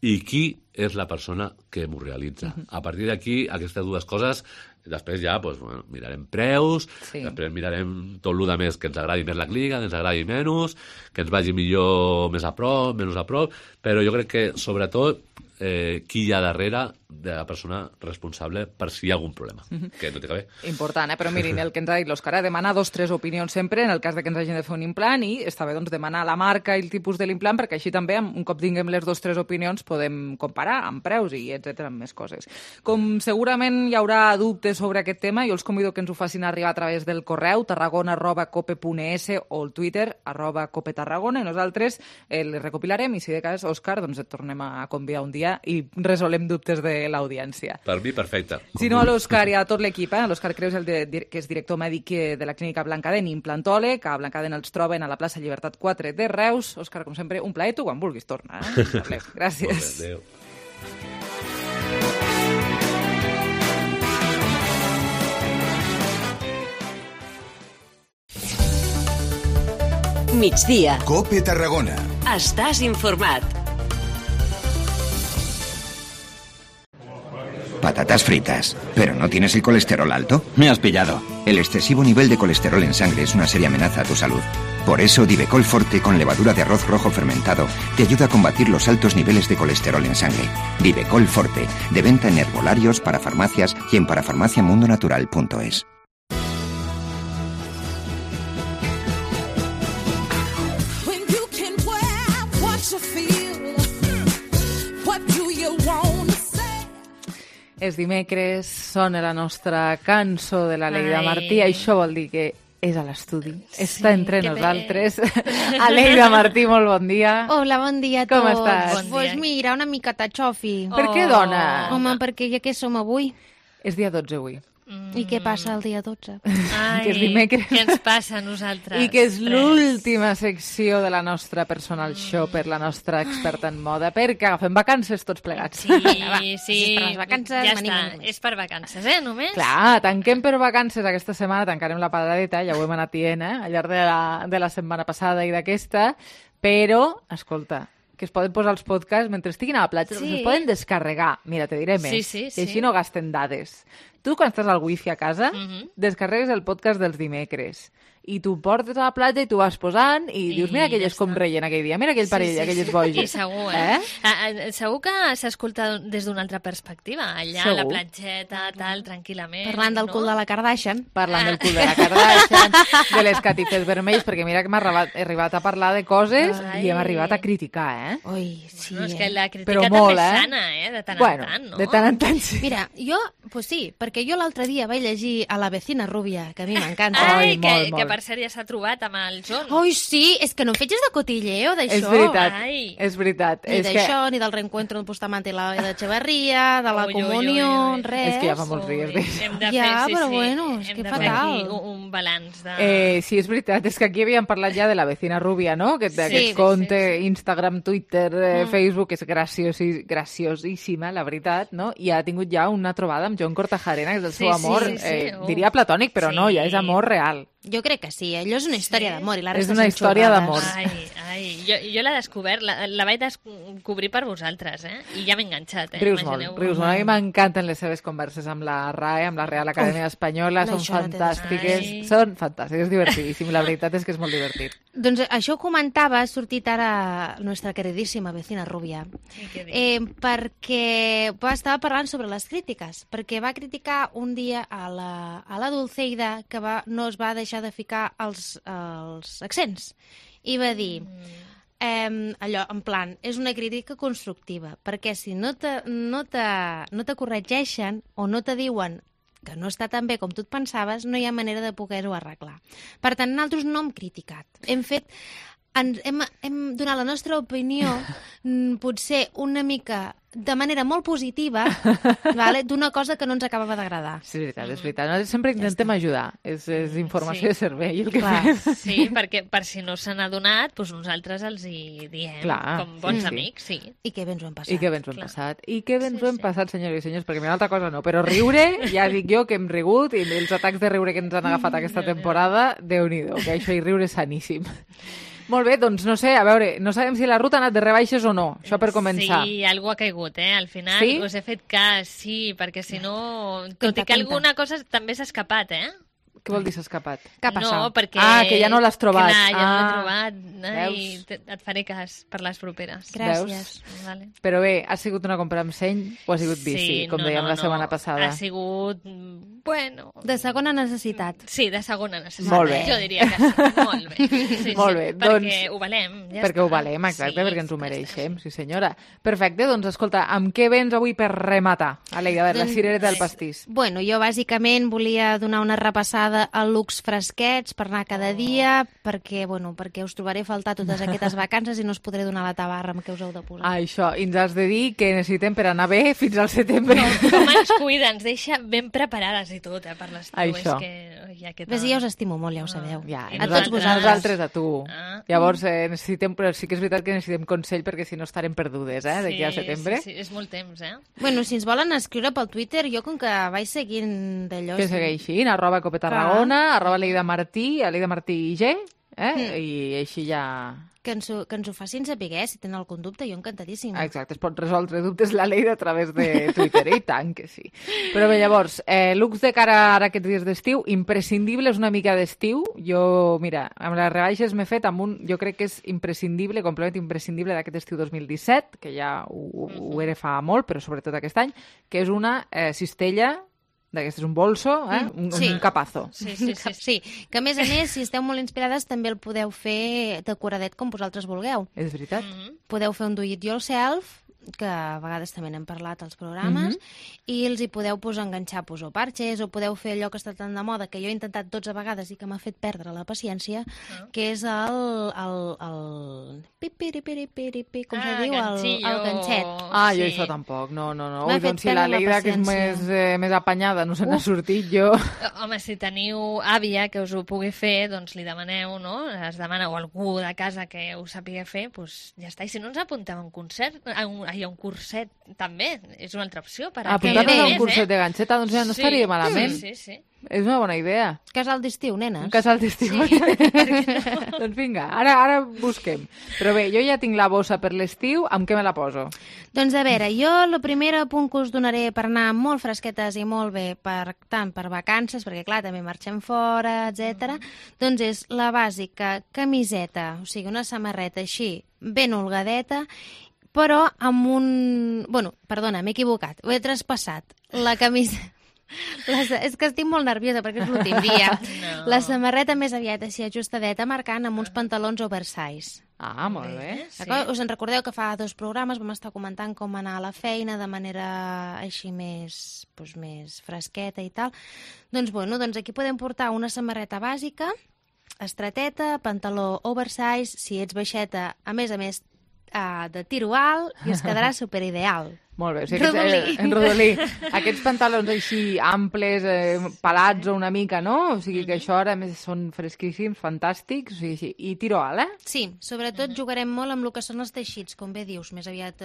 i qui és la persona que m'ho realitza. A partir d'aquí, aquestes dues coses, després ja mirarem preus, després mirarem tot el més que ens agradi més la clínica, que ens agradi menys, que ens vagi millor més a prop, menys a prop, però jo crec que, sobretot, qui hi ha darrere de la persona responsable per si hi ha algun problema, que no té que haver. Important, però mirin, el que ens ha dit l'Òscar, demanar 2 o 3 opinions sempre en el cas de que ens hagin de fer un implant i està bé demanar la marca i el tipus de l'implant perquè així també, un cop tinguem les 2 o 3 opinions, podem comparar amb preus i etcètera, amb més coses. Com segurament hi haurà dubtes sobre aquest tema, jo els convido que ens ho facin arribar a través del correu tarragona@cope.es o el Twitter @copetarragona i nosaltres les recopilarem i si de cas, Òscar, doncs et tornem a convidar un dia i resolem dubtes de l'audiència. Per mi, perfecte. Si no, a l'Òscar i a tot l'equip, l'Òscar Creus, que és director mèdic de la clínica Blancadent, implantòleg, a Blancadent els troben a la plaça Llibertat 4 de Reus. Òscar, com sempre, un plaer, tu quan vulguis tornar. Gràcies. Adéu. Migdia. Cope Tarragona. Estàs informat. Patatas fritas. ¿Pero no tienes el colesterol alto? Me has pillado. El excesivo nivel de colesterol en sangre es una seria amenaza a tu salud. Por eso, Divecol Forte con levadura de arroz rojo fermentado te ayuda a combatir los altos niveles de colesterol en sangre. Divecol Forte, de venta en herbolarios, para farmacias y en parafarmaciamundonatural.es. És dimecres, sona la nostra cançó de la Leida Martí. Això vol dir que és a l'estudi, està entre nosaltres. Aleida Martí, molt bon dia. Hola, bon dia a tots. Com estàs? Pues mira, una miqueta xofi. Per què, dona? Home, perquè ja que som avui. És dia 12 avui. I què passa el dia 12? Ai, que és dimecres. Què ens passa a nosaltres? I que és l'última secció de la nostra personal shopper, la nostra experta en moda, perquè agafem vacances tots plegats. Sí, sí. Per les vacances, ja està, és per vacances, només? Clar, tanquem per vacances aquesta setmana, tancarem la paradeta, ja ho hem anat dient, al llarg de la setmana passada i d'aquesta, però, escolta, que es poden posar els podcasts mentre estiguin a la platja, es poden descarregar. Mira, te diré més, i així no gasten dades. Tu, quan estàs al wifi a casa, descarregues el podcast dels dimecres i tu portes a la platja i tu vas posant i dius, mira aquelles com reien aquell dia, mira aquell parell, aquelles boges. I segur, segur que s'escolta des d'una altra perspectiva, allà a la platgeta, tal, tranquil·lament. Parlant del cul de la Kardashian. Parlant del cul de la Kardashian, de les catifes vermells, perquè mira que hem arribat a parlar de coses i hem arribat a criticar, Ui, sí. És que la crítica també és sana, de tant en tant, no? De tant en tant, sí. Mira, jo, pues sí, perquè jo l'altre dia vaig llegir a La vecina rubia, que a mi m'encanta. Ai, que per cert ja s'ha trobat amb el John. Ai, sí, és que no em fetges de cotilleo d'això. És veritat, és veritat. Ni d'això, ni del reencuentro de Bustamante i la d'Echeverría, de la comunió, res. És que ja fa molts dies d'això. Ja, però bueno, és que fatal. Un balanç de... Sí, és veritat, és que aquí havíem parlat ja de La vecina rubia, no? Aquest compte, Instagram, Twitter, Facebook, és graciosíssima, la veritat, no? I ha tingut ja una trobada amb John Cortajarena, que és el seu amor, diria platònic, però no, ja és amor real. Jo crec que sí, allò és una història d'amor i la És resta una història d'amor. Ai, jo l'he descobert, la vaig descobrir per vosaltres, i ja m'he enganxat. Rius molt. A mi m'encanten les seves converses amb la RAE, amb la Real Acadèmia Espanyola, són fantàstiques, és divertidíssim, la veritat és que és molt divertit. Doncs això ho comentava, ha sortit ara la nostra queridíssima vecina rubia, perquè estava parlant sobre les crítiques, perquè va criticar un dia a la Dulceida que no es va deixar de ficar els accents i va dir allò, en plan, és una crítica constructiva, perquè si no te corregeixen o no te diuen que no està tan bé com tu et pensaves, no hi ha manera de poder-ho arreglar. Per tant, nosaltres no hem criticat. Hem donat la nostra opinió potser una mica de manera molt positiva d'una cosa que no ens acabava d'agradar. Sí, és veritat. Nosaltres sempre intentem ajudar. És informació de servei el que fem. Sí, perquè per si no se n'ha donat, doncs nosaltres els hi diem com bons amics. Sí. I que bé ens ho hem passat. I que bé ens ho hem passat, senyores i senyors, perquè una altra cosa no, però riure, ja dic jo que hem rigut i els atacs de riure que ens han agafat aquesta temporada, Déu-n'hi-do, que això i riure és saníssim. Molt bé, doncs no sé, a veure, no sabem si la ruta ha anat de rebaixes o no, això per començar. Sí, algú ha caigut, al final us he fet cas, sí, perquè si no, tot i que alguna cosa també s'ha escapat, Què vol dir s'ha escapat? Què ha passat? No, perquè... que ja no l'has trobat. Clar, ja no l'he trobat, i et faré cas per les properes. Gràcies. Vale. Però bé, ha sigut una compra amb seny o ha sigut bici, com dèiem la setmana passada? Ha sigut, bueno... De segona necessitat. Sí, de segona necessitat. Molt bé. Jo diria que sí, molt bé. Sí, molt bé, perquè ho valem. Perquè ho valem, exacte, perquè ens ho mereixem, sí senyora. Perfecte, doncs escolta, amb què vens avui per rematar? Aleida, a veure, la cirereta del pastís. Bueno, jo bàsicament volia donar una repassada a looks fresquets per anar cada dia, perquè us trobaré a faltar totes aquestes vacances i no us podré donar la tabarra amb què us heu de posar. Això, i ens has de dir què necessitem per anar bé fins al setembre. Com ens cuida, ens deixa ben preparades i tot, per l'estiu. Això. Ves, ja us estimo molt, ja ho sabeu. A tots vosaltres. Nosaltres a tu. Llavors, necessitem, però sí que és veritat que necessitem consell perquè si no estarem perdudes, d'aquí al setembre. Sí, és molt temps, Bueno, si ens volen escriure pel Twitter, jo com que vaig seguint d'allò... Que segueixin, @copetarragona, @Leida Martí, Leida Martí G, i així ja que ens ho facin saber, si tenen algun dubte, jo encantadíssim. Exacte, es pot resoldre dubtes la Leida a través de Twitter, i tant que sí. Però bé, llavors, looks de cara ara aquests dies d'estiu, imprescindibles una mica d'estiu. Jo, mira, amb les rebaixes m'he fet amb un, jo crec que és imprescindible, complement imprescindible d'aquest estiu 2017, que ja ho era fa molt, però sobretot aquest any, que és una cistella, d'aquest és un bolso, un capazo. Sí, que a més, si esteu molt inspirades també el podeu fer decoradet com vosaltres vulgueu. És veritat. Podeu fer un do it yourself, que a vegades també n'hem parlat als programes, i els hi podeu enganxar o parxes, o podeu fer allò que està tan de moda, que jo he intentat 12 vegades i que m'ha fet perdre la paciència, que és el pipiripiripiripi, com se diu? El ganxet. Jo això tampoc, no. Doncs si la Leida, que és més apanyada, no se n'ha sortit, jo... Home, si teniu àvia que us ho pugui fer, doncs li demaneu, no? Es demana, o algú de casa que ho sàpiga fer, doncs ja està. I si no, ens apuntem a un concert, hi ha un curset també, és una altra opció per a apuntar-nos a un curset de ganxeta, doncs ja no estaria malament. Sí. És una bona idea. Casal d'estiu, nenes. Un casal d'estiu. Sí. Doncs vinga, ara busquem. Però bé, jo ja tinc la bossa per l'estiu, amb què me la poso? Doncs a veure, jo el primer apunt que us donaré per anar molt fresquetes i molt bé, tant per vacances, perquè clar, també marxem fora, etc. Doncs és la bàsica camiseta, o sigui, una samarreta així, ben holgadeta, però amb un... Bueno, perdona, m'he equivocat, ho he traspassat. La camisa... És que estic molt nerviosa perquè és l'últim dia. La samarreta més aviat així ajustadeta, marcant amb uns pantalons oversize. Molt bé. Sí. Us en recordeu que fa 2 programes vam estar comentant com anar a la feina de manera així més fresqueta i tal. Doncs aquí podem portar una samarreta bàsica, estreteta, pantaló oversize, si ets baixeta, a més de tiro alt, i es quedarà superideal. Molt bé, o sigui, en rodolí. Aquests pantalons així amples, pelats o una mica, no? O sigui que això ara més són fresquíssims, fantàstics, o sigui, sí. I tiro alt, Sí, sobretot jugarem molt amb el que són els teixits, com bé dius, més aviat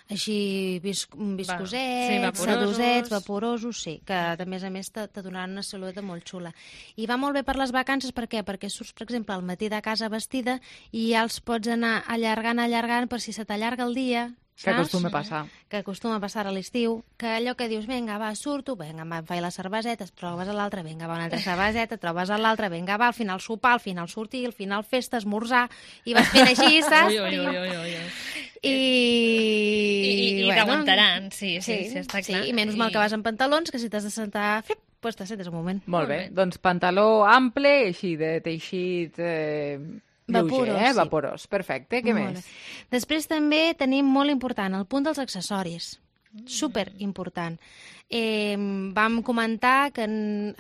així viscosets, sedosets, vaporosos, sí, que a més te donaran una silueta molt xula. I va molt bé per les vacances, per què? Perquè surts, per exemple, al matí de casa vestida i ja els pots anar allargant per si se t'allarga el dia, que acostuma a passar. Que acostuma a passar a l'estiu, que allò que dius, vinga, va, surto, vinga, em faig la cerveseta, trobes a l'altra, vinga, va, una altra cerveseta, trobes a l'altra, vinga, va, al final sopar, al final sortir, al final festa, esmorzar, i vas fent així, saps? I t'aguantaran, sí, està clar. I menys mal que vas en pantalons, que si t'has de sentar, doncs t'assentes un moment. Molt bé, doncs pantaló ample, així, de teixit... vaporós, perfecte, què més? Després també tenim molt important el punt dels accessoris, super important. Vam comentar que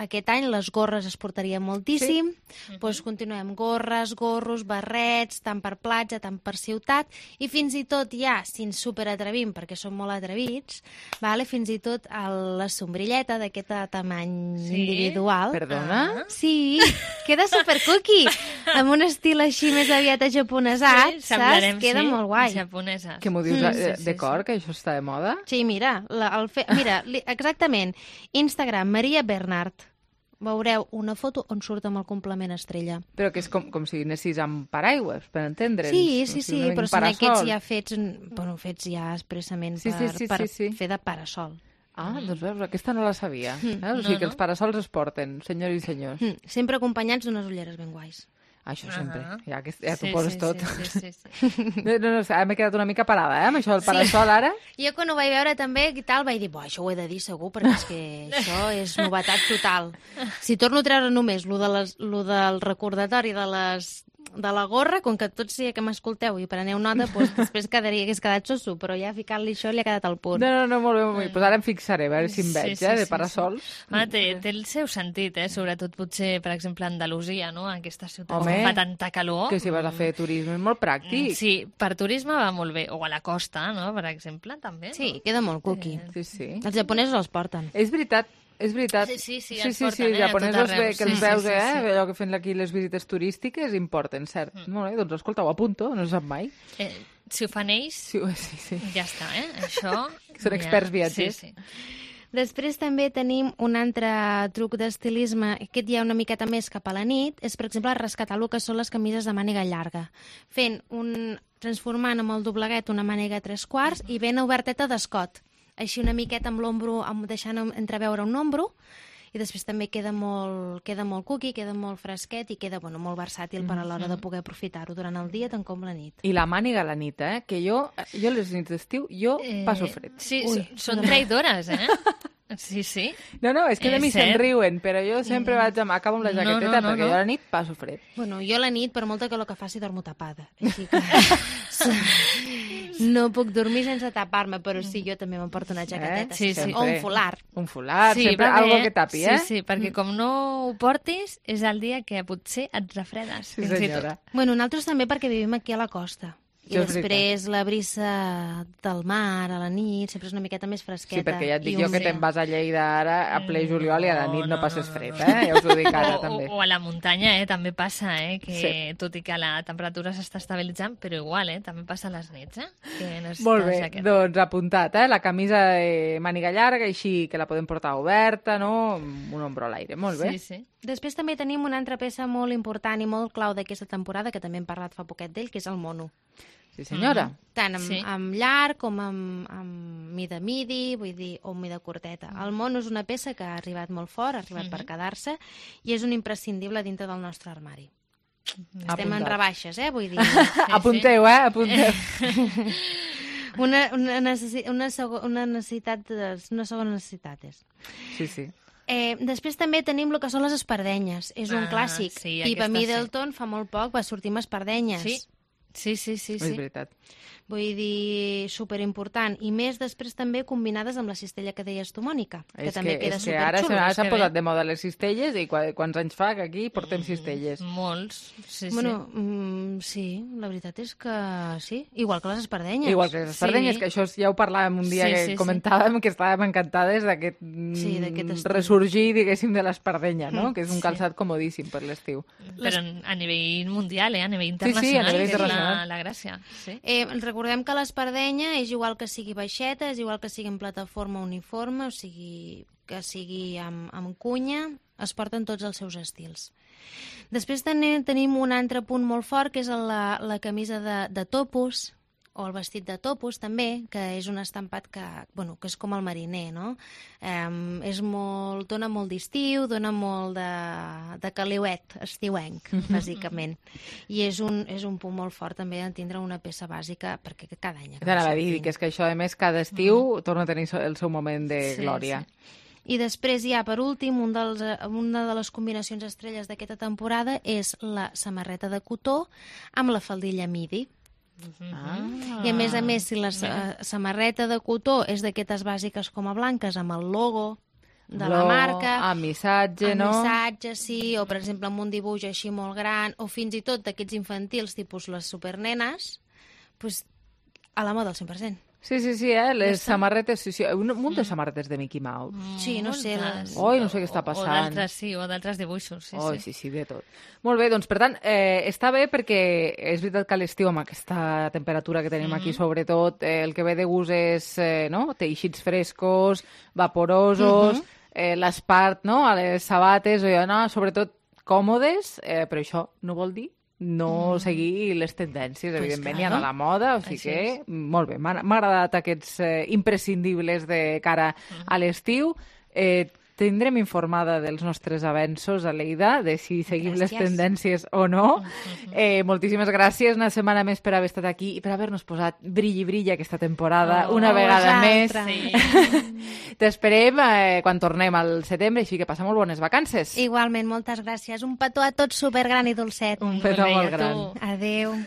aquest any les gorres es portarien moltíssim, doncs continuem gorres, gorros, barrets, tant per platja, tant per ciutat, i fins i tot ja, si ens superatrevim, perquè som molt atrevits, fins i tot la sombrilleta d'aquest tamany individual. Perdona? Sí, queda supercookie, amb un estil així més aviat japonesat, saps? Queda molt guai. Que m'ho dius de cor, que això està de moda? Sí, mira, exactament. Instagram, Maria Bernard. Veureu una foto on surt amb el complement estrella. Però que és com si anessis amb paraigües, per entendre'ns. Sí, però són aquests ja fets ja expressament per fer de parasol. Doncs veus, aquesta no la sabia. O sigui que els parasols es porten, senyors i senyors. Sempre acompanyats d'unes ulleres ben guais. Això sempre, ja t'ho poses tot. No, m'he quedat una mica parada, amb això del parasol ara. Jo quan ho vaig veure també i tal, vaig dir, això ho he de dir segur, perquè és que això és novetat total. Si torno a treure només lo del recordatori de la gorra, com que tots sí que m'escolteu i preneu nota, doncs després hagués quedat soso, però ja ficant-li això li ha quedat al punt. No, molt bé. Doncs ara em fixaré, a veure si em veig, de parasols. Té el seu sentit, sobretot potser, per exemple, a Andalusia, no? Aquesta ciutat que fa tanta calor. Que si vas a fer turisme és molt pràctic. Sí, per turisme va molt bé. O a la costa, no? Per exemple, també. Sí, queda molt cookie. Sí. Els japonesos els porten. És veritat. Sí, els porten, japonesos que ens veus, allò que fent aquí les visites turístiques, importen, cert. Molt bé, doncs escolta, ho apunto, no se sap mai. Si ho fan ells, ja està, això... Són experts viatgers. Sí. Després també tenim un altre truc d'estilisme, aquest ja una miqueta més cap a la nit, és, per exemple, rescatar el que són les camises de màniga llarga, transformant amb el dobleguet una màniga 3/4 i ben oberteta d'escot. Així una miqueta amb l'ombro, deixant entreveure un ombro, i després també queda molt cookie, queda molt fresquet i queda molt versàtil per a l'hora de poder aprofitar-ho durant el dia tant com la nit. I la màniga a la nit, que jo les nits d'estiu, passo fred. Sí, són traïdores, Sí, sí. No, és que de mi se'n riuen, però jo sempre acabo amb la jaqueteta perquè jo a la nit passo fred. Bueno, jo a la nit, per molta calor que faci, dormo tapada. Així que no puc dormir sense tapar-me, però sí, jo també m'emporto una jaqueteta. Sí. O un folar. Un folar, sempre algo que tapi, Sí, perquè com no ho portis, és el dia que potser et refredes. Sí, senyora. Bueno, nosaltres també perquè vivim aquí a la costa. I després la brisa del mar a la nit sempre és una miqueta més fresqueta. Sí, perquè ja et dic jo que te'n vas a Lleida ara a ple juliol i a la nit no passes fred, Ja us ho dic ara, també. O a la muntanya, també passa, que tot i que la temperatura s'està estabilitzant, però igual, també passa a les nits, Molt bé, doncs apuntat, la camisa de màniga llarga, així que la podem portar oberta, no? Amb un ombro a l'aire, molt bé. Sí. Després també tenim una altra peça molt important i molt clau d'aquesta temporada, que també hem parlat fa poquet d'ell, que és el mono. Sí, senyora. Tant amb llarg com amb mida midi, vull dir, o mida curteta. El mono és una peça que ha arribat molt fort, ha arribat per quedar-se, i és un imprescindible dintre del nostre armari. Estem en rebaixes, vull dir. Apunteu, apunteu. Una segona necessitat és. Sí. Després també tenim el que són les espardenyes. És un clàssic. Pippa Middleton fa molt poc va sortir amb espardenyes. Sí. És veritat. Vull dir, superimportant. I més després també combinades amb la cistella que deies tu, Mònica, que també queda superxulo. Ara s'han posat de moda les cistelles i quants anys fa que aquí portem cistelles? Molts, sí. Bueno, sí, la veritat és que sí. Igual que les espardenyes. Igual que les espardenyes, que això ja ho parlàvem un dia que comentàvem, que estàvem encantades d'aquest ressorgir, diguéssim, de l'espardenya, no? Que és un calçat comodíssim per l'estiu. Però a nivell mundial, a nivell internacional. Sí, a nivell internacional. La gràcia. Recordem que l'espardenya és igual que sigui baixeta, és igual que sigui en plataforma uniforme, o sigui que sigui amb cunya, es porten tots els seus estils. Després tenim un altre punt molt fort, que és la camisa de topos, o el vestit de topos també, que és un estampat que és com el mariner, no? Dona molt d'estiu, dona molt de caliuet estiuenc, bàsicament. I és un punt molt fort també de tindre una peça bàsica, perquè cada any... T'anava a dir que és que això, a més, cada estiu torna a tenir el seu moment de glòria. I després ja, per últim, una de les combinacions estrelles d'aquesta temporada és la samarreta de cotó amb la faldilla midi. I a més, si la samarreta de cotó és d'aquestes bàsiques com a blanques amb el logo de la marca, amb missatge, no? Amb missatge, sí, o per exemple amb un dibuix així molt gran, o fins i tot d'aquests infantils tipus les supernenes, doncs a la moda al 100%. Sí, les samarretes, un munt de samarretes de Mickey Mouse. Sí, no sé. No sé què està passant. O d'altres dibuixos, sí, de tot. Molt bé, doncs per tant, està bé perquè és veritat que a l'estiu amb aquesta temperatura que tenim aquí, sobretot, el que ve de gust és teixits frescos, vaporosos, l'espart, a les sabates, sobretot còmodes, però això no vol dir no seguir les tendències, evidentment, i anar a la moda, o sigui que, molt bé, m'ha agradat aquests imprescindibles de cara a l'estiu. Tindrem informada dels nostres avenços a Lleida, de si seguim les tendències o no. Moltíssimes gràcies una setmana més per haver estat aquí i per haver-nos posat brilli aquesta temporada una vegada més. T'esperem quan tornem al setembre, així que passa molt bones vacances. Igualment, moltes gràcies. Un petó a tots supergran i dolcet. Un petó molt gran. Adéu.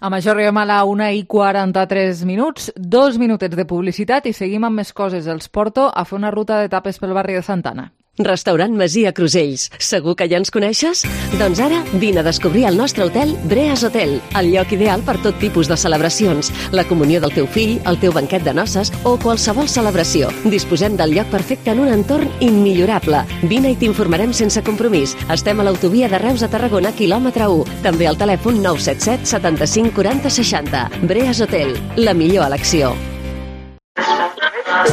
Amb això arribem a la 1:43, 2 minutets de publicitat i seguim amb més coses. Els porto a fer una ruta d'etapes pel barri de Santa Anna. Restaurant Masia Crusells. Segur que ja ens coneixes? Doncs ara vine a descobrir el nostre hotel Breas Hotel, el lloc ideal per tot tipus de celebracions, la comunió del teu fill, el teu banquet de noces o qualsevol celebració. Disposem del lloc perfecte en un entorn immillorable. Vine i t'informarem sense compromís. Estem a l'autovia de Reus a Tarragona, quilòmetre 1. També al telèfon 977 75 40 60. Breas Hotel, la millor elecció.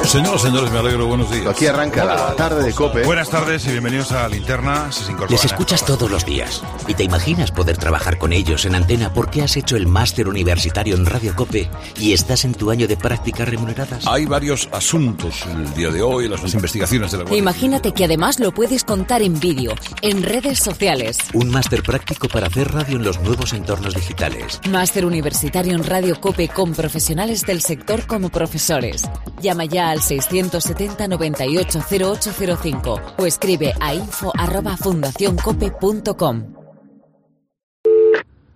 Señores, me alegro, buenos días. Aquí arranca la tarde de COPE. Buenas tardes y bienvenidos a Linterna. Les escuchas todos los días y te imaginas poder trabajar con ellos en antena porque has hecho el máster universitario en Radio COPE y estás en tu año de prácticas remuneradas. Hay varios asuntos el día de hoy, las investigaciones de la Guardia Imagínate que además lo puedes contar en vídeo, en redes sociales. Un máster práctico para hacer radio en los nuevos entornos digitales. Máster universitario en Radio COPE con profesionales del sector como profesores. Llama ya al 670 98 0805 o escribe a info@fundacioncope.com.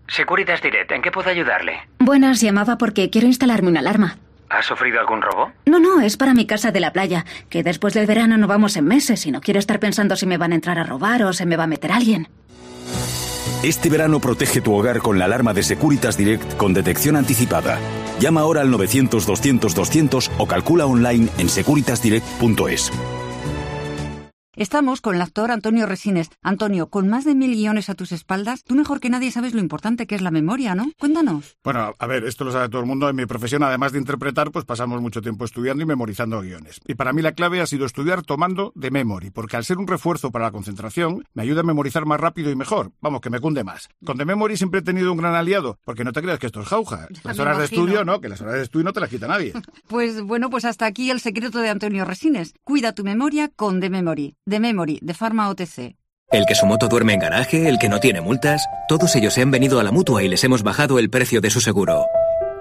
Securitas Direct, ¿en qué puedo ayudarle? Buenas, llamaba porque quiero instalarme una alarma. ¿Ha sufrido algún robo? No, es para mi casa de la playa, que después del verano no vamos en meses y no quiero estar pensando si me van a entrar a robar o se me va a meter alguien. Este verano protege tu hogar con la alarma de Securitas Direct con detección anticipada. Llama ahora al 900-200-200 o calcula online en securitasdirect.es. Estamos con el actor Antonio Resines. Antonio, con más de 1000 guiones a tus espaldas, tú mejor que nadie sabes lo importante que es la memoria, ¿no? Cuéntanos. Bueno, a ver, esto lo sabe todo el mundo. En mi profesión, además de interpretar, pues pasamos mucho tiempo estudiando y memorizando guiones. Y para mí la clave ha sido estudiar tomando de memory, porque al ser un refuerzo para la concentración, me ayuda a memorizar más rápido y mejor. Vamos, que me cunde más. Con de memory siempre he tenido un gran aliado, porque no te creas que esto es jauja. Las horas de estudio, ¿no? Que las horas de estudio no te las quita nadie. Pues hasta aquí el secreto de Antonio Resines. Cuida tu memoria con de memory. De memory, de Pharma OTC. El que su moto duerme en garaje, el que no tiene multas, todos ellos se han venido a la Mutua y les hemos bajado el precio de su seguro.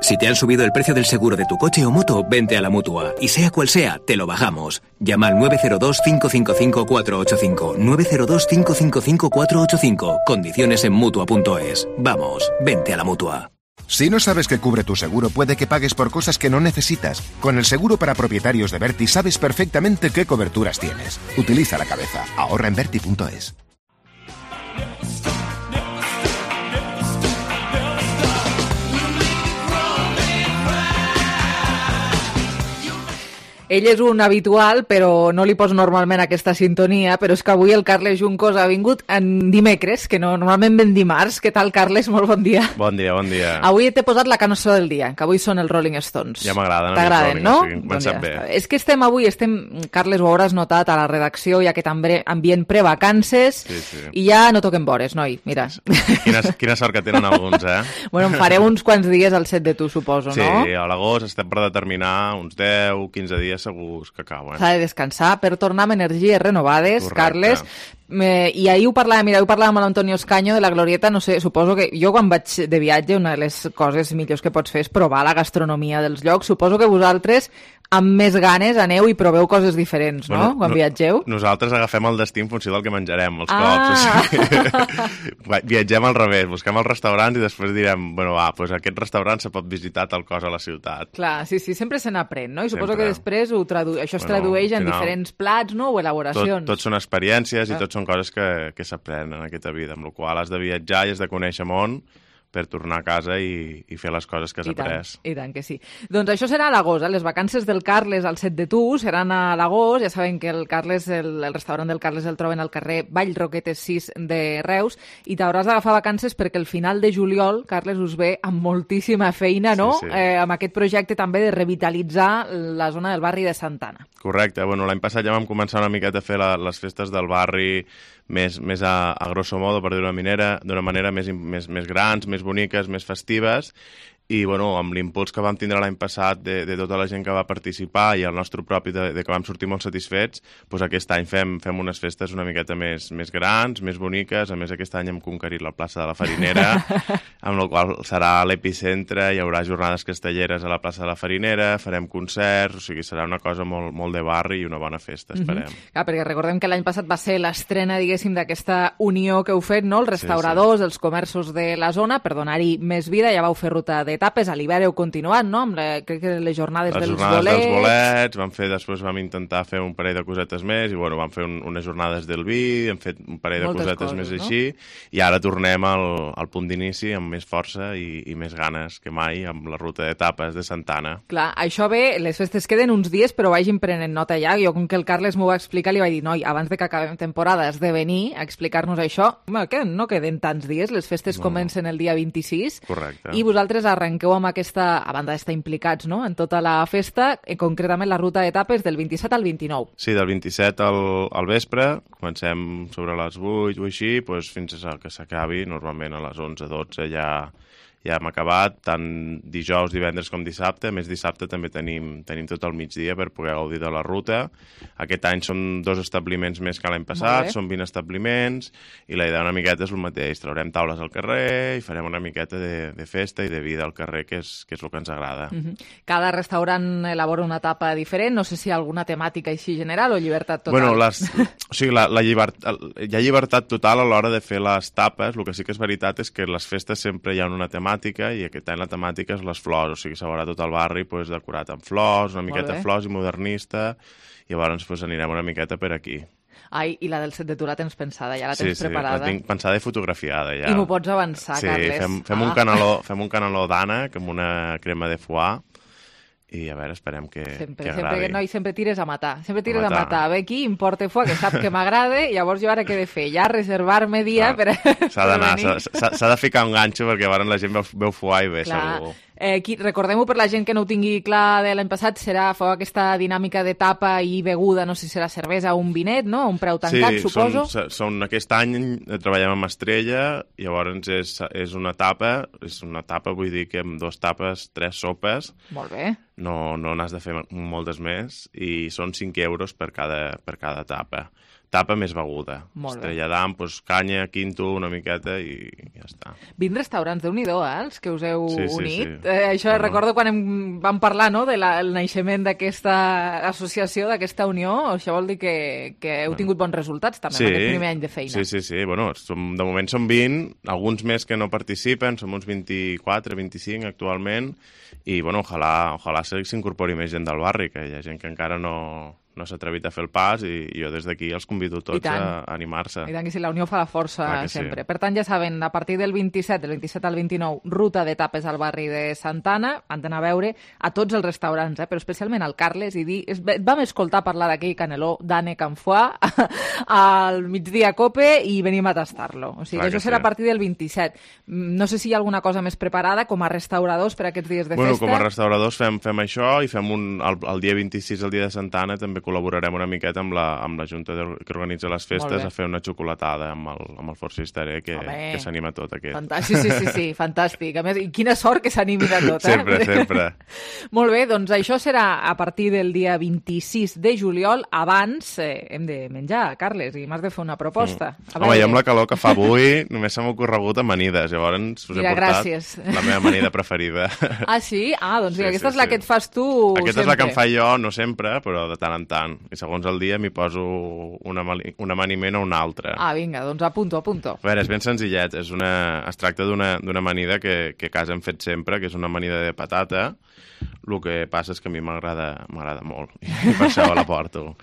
Si te han subido el precio del seguro de tu coche o moto, vente a la Mutua. Y sea cual sea, te lo bajamos. Llama al 902-555-485. 902-555-485. Condiciones en Mutua.es. Vamos, vente a la Mutua. Si no sabes qué cubre tu seguro, puede que pagues por cosas que no necesitas. Con el seguro para propietarios de Verti sabes perfectamente qué coberturas tienes. Utiliza la cabeza. Ahorra en Verti.es. Ell és un habitual, però no li poso normalment aquesta sintonia, però és que avui el Carles Juncos ha vingut en dimecres, que no, normalment ven dimarts. Què tal, Carles? Molt bon dia. Bon dia, bon dia. Avui t'he posat la cançó del dia, que avui són els Rolling Stones. Ja m'agraden. T'agraden, no? Sí, comencem bé. És que estem, Carles, ho hauràs notat a la redacció, ja que també ambient prevacances, i ja no toquem vores, noi, mira. Quina sort que tenen alguns, eh? Bueno, em faré uns quants dies al set de tu, suposo, no? Sí, a l'agost estem per determinar uns 10, 15 dies segurs que acaben. S'ha de descansar per tornar amb energies renovades. Correcte. Carles. I ahir ho parlàvem amb l'Antonio Escaño de la Glorieta, no sé, suposo que jo quan vaig de viatge una de les coses millors que pots fer és provar la gastronomia dels llocs. Suposo que vosaltres amb més ganes aneu i proveu coses diferents, no? Quan viatgeu. Nosaltres agafem el destí en funció del que menjarem, els cops. Viatgem al revés, busquem els restaurants i després direm, bueno, doncs aquest restaurant se pot visitar tal cosa a la ciutat. Clar, sí, sempre se n'aprèn, no? I suposo que després això es tradueix en diferents plats, no? O elaboracions. Tot són experiències i tot són coses que s'aprenen en aquesta vida, amb la qual has de viatjar i has de conèixer món per tornar a casa i fer les coses que has après. I tant que sí. Doncs això serà a l'agost, les vacances del Carles al set de tu seran a l'agost. Ja saben que el Carles, el restaurant del Carles el troben al carrer Vallroquetes 6 de Reus i t'hauràs d'agafar vacances perquè el final de juliol, Carles, us ve amb moltíssima feina, no? Sí. Amb aquest projecte també de revitalitzar la zona del barri de Santana. Correcte. Bueno, l'any passat ja vam començar una miqueta a fer les festes del barri més a grosso modo, per dir-ho d'una manera més grans, més boniques, més festives, i bueno, amb l'impuls que vam tindre l'any passat de tota la gent que va participar i el nostre propi de que vam sortir molt satisfets, doncs aquest any fem unes festes una miqueta més grans, més boniques. A més, aquest any hem conquerit la plaça de la Farinera, amb la qual serà l'epicentre, hi haurà jornades castelleres a la plaça de la Farinera, farem concerts, o sigui, serà una cosa molt de barri i una bona festa, esperem. Clar, perquè recordem que l'any passat va ser l'estrena, diguéssim, d'aquesta unió que heu fet, no? Els restauradors, els comerços de la zona, per donar-hi més vida, ja vau fer ruta de etapes. A l'hivern heu continuat, no? Crec que les jornades dels bolets. Les jornades dels bolets, després vam intentar fer un parell de cosetes més, i vam fer unes jornades del vi, hem fet un parell de cosetes més així, i ara tornem al punt d'inici amb més força i més ganes que mai, amb la ruta d'etapes de Santana. Clar, això bé, les festes queden uns dies, però vagin prenent nota ja. Jo, com que el Carles m'ho va explicar, li vaig dir, noi, abans de que acabem temporada has de venir a explicar-nos això. No queden tants dies, les festes comencen el dia 26. Correcte. I vosaltres arrenqueu amb aquesta, a banda d'estar implicats, no?, en tota la festa, concretament la ruta d'etapes del 27 al 29. Sí, del 27 al vespre, comencem sobre les 8 o així, fins que s'acabi, normalment a les 11-12 ja hem acabat, tant dijous, divendres com dissabte. A més, dissabte també tenim tot el migdia per poder gaudir de la ruta. Aquest any són 2 establiments més que l'any passat, són 20 establiments, i la idea una miqueta és el mateix. Traurem taules al carrer i farem una miqueta de festa i de vida al carrer, que és el que ens agrada. Cada restaurant elabora una etapa diferent, no sé si hi ha alguna temàtica així general o llibertat total. Bueno, hi ha llibertat total a l'hora de fer les tapes. El que sí que és veritat és que les festes sempre hi ha una temàtica, i aquest any la temàtica és les flors, o sigui, s'ha veurà tot el barri decorat amb flors, una miqueta flors i modernista, i llavors anirem una miqueta per aquí. Ai, i la del set de tu la tens pensada, ja la tens preparada? Sí, la tinc pensada i fotografiada ja. I m'ho pots avançar, Carles? Sí, fem un caneló d'ànec amb una crema de foie, i a veure, esperem que agradi. Sempre tires a matar. A veure qui em porta foie, que sap que m'agrada, i llavors jo ara què he de fer? Ja reservar-me dia per venir. S'ha de ficar un ganxo, perquè llavors la gent veu foie i bé, segur. Recordem-ho per la gent que no ho tingui clar de l'any passat, feu aquesta dinàmica de tapa i beguda, no sé si serà cervesa o un vinet, no? Un preu tancat, suposo. Sí, aquest any treballem amb Estrella, i llavors és una tapa, vull dir que amb 2 tapes, 3 sopes. Molt bé. No n'has de fer moltes més, i són 5 euros per cada tapa. Tapa més beguda. Estrella d'Am, canya, quinto, una miqueta, i ja està. 20 restaurants, Déu-n'hi-do, els que us heu unit. Sí. Això recordo quan vam parlar, no?, del naixement d'aquesta associació, d'aquesta unió. Això vol dir que heu tingut bons resultats, també, en aquest primer any de feina. Sí. Bueno, de moment som 20, alguns més que no participen, som uns 24, 25 actualment, i, bueno, ojalà s'incorpori més gent del barri, que hi ha gent que encara no s'ha atrevit a fer el pas, i jo des d'aquí els convido tots a animar-se. I tant, que sí, la unió fa la força sempre. Per tant, ja saben, a partir del 27 al 29, ruta d'etapes al barri de Santana, han d'anar a veure a tots els restaurants, però especialment al Carles, i dir, vam escoltar parlar d'aquell caneló d'ànec amb foie al migdia a Cope, i venim a tastar-lo. O sigui, això serà a partir del 27. No sé si hi ha alguna cosa més preparada com a restauradors per aquests dies de festa. Bueno, com a restauradors fem això, i fem el dia 26, el dia de Santana, també col·laborarem una miqueta amb la Junta que organitza les festes a fer una xocolatada amb el Forci Estaré, que s'anima tot aquest. Sí, fantàstic. A més, i quina sort que s'animin a tot, Sempre. Molt bé, doncs això serà a partir del dia 26 de juliol. Abans hem de menjar, Carles, i m'has de fer una proposta. Home, jo amb la calor que fa avui només se m'ha ocorregut amanides, llavors us he portat la meva amanida preferida. Ah, sí? Doncs aquesta és la que et fas tu sempre. Aquesta és la que em fa jo, no sempre, però de tant en tant. I segons el dia m'hi poso un amaniment o un altre. Vinga, doncs apunto. A veure, és ben senzillet. Es tracta d'una amanida que a casa hem fet sempre, que és una amanida de patata. El que passa és que a mi m'agrada molt, i per això la porto.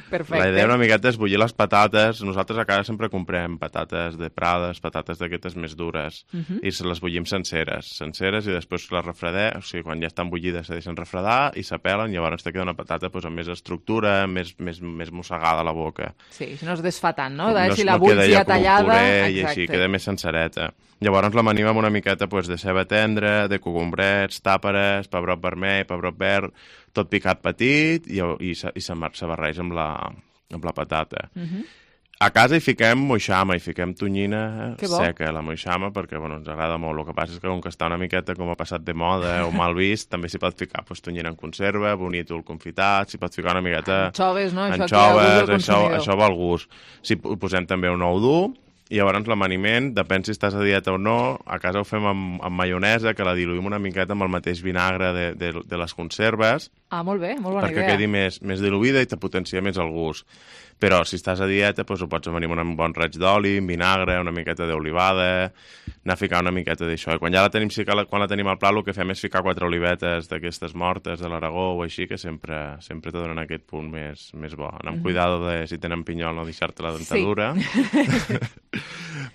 Perfecte. La idea una miqueta és bullir les patates. Nosaltres a casa sempre comprem patates de Prades, patates d'aquestes més dures, i se les bullim senceres, i després les refredem, o sigui, quan ja estan bullides se deixen refredar i s'apelen, i llavors te queda una patata amb més estructura, més mossegada a la boca. Sí, si no es desfà tant, no? Si la bulls ja tallada... I així queda més sencereta. Llavors l'amanima amb una miqueta de ceba tendra, de cogombrets, tàperes, pebrot vermell, pebrot verd, tot picat petit, i se barreja amb la patata. A casa hi fiquem moixama, hi fiquem tonyina seca, la moixama, perquè ens agrada molt. El que passa és que com que està una miqueta com ha passat de moda o mal vist, també s'hi pot ficar tonyina en conserva, bonítol confitat, s'hi pot ficar una miqueta... Anxoves, no? Anxoves, això va al gust. Si posem també un ou dur, i llavors l'amaniment, depèn si estàs a dieta o no, a casa ho fem amb maionesa, que la diluïm una miqueta amb el mateix vinagre de les conserves. Molt bé, molt bona idea. Perquè quedi més diluïda i te potencia més el gust. Però si estàs a dieta, doncs ho pots amanir amb un bon raig d'oli, amb vinagre, una miqueta d'olivada, anar a ficar una miqueta d'això. I quan ja la tenim, quan la tenim al plat, el que fem és ficar 4 olivetes d'aquestes mortes de l'Aragó o així, que sempre te donen aquest punt més bo. Anar amb cuidado de, si tenen pinyol, no deixar-te la dentadura. Sí.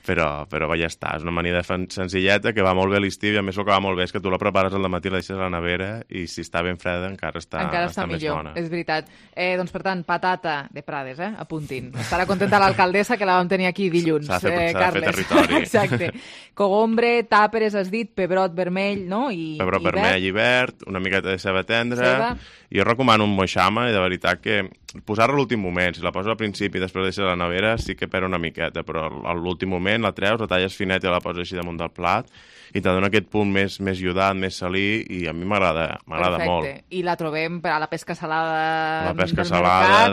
però ja està, és una amanida senzilleta que va molt bé a l'estiu, i a més el que va molt bé és que tu la prepares al matí, la deixes a la nevera, i si està ben freda encara està més bona. És veritat. Doncs, per tant, patata de Prades, apuntin. Estarà contenta l'alcaldessa, que la vam tenir aquí dilluns. S'ha de fer territori. Exacte. Cogombre, tàperes, has dit, pebrot vermell, no? Pebrot vermell i verd, una miqueta de ceba tendra. Jo recomano un moixama, i de veritat que posar-la a l'últim moment, si la poses al principi i després deixes a la nevera, sí que perd una miqueta, però a l'últim moment la treus, la talles finet i la poses així damunt del plat, i te dona aquest punt més iodat, més salí, i a mi m'agrada molt. I la trobem a la pesca salada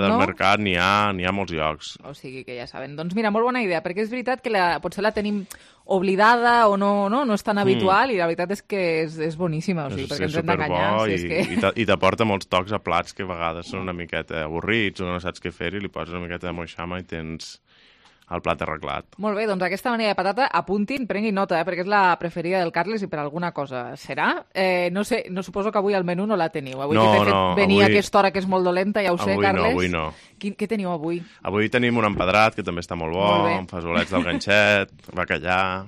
del mercat, n'hi ha molts llocs. O sigui que ja saben. Doncs mira, molt bona idea, perquè és veritat que potser la tenim oblidada o no és tan habitual, i la veritat és que és boníssima, o sigui, perquè ens hem d'enganyar. I t'aporta molts tocs a plats que a vegades són una miqueta avorrits o no saps què fer, i li poses una miqueta de moixama i tens el plat arreglat. Molt bé, doncs aquesta manera de patata, apuntin, prenguin nota, perquè és la preferida del Carles i per alguna cosa serà. No sé, no suposo que avui al menú no la teniu. Avui venia a aquesta hora que és molt dolenta, ja ho sé, Carles. Avui no. Què teniu avui? Avui tenim un empedrat, que també està molt bo, amb fesolets del ganxet, bacallà...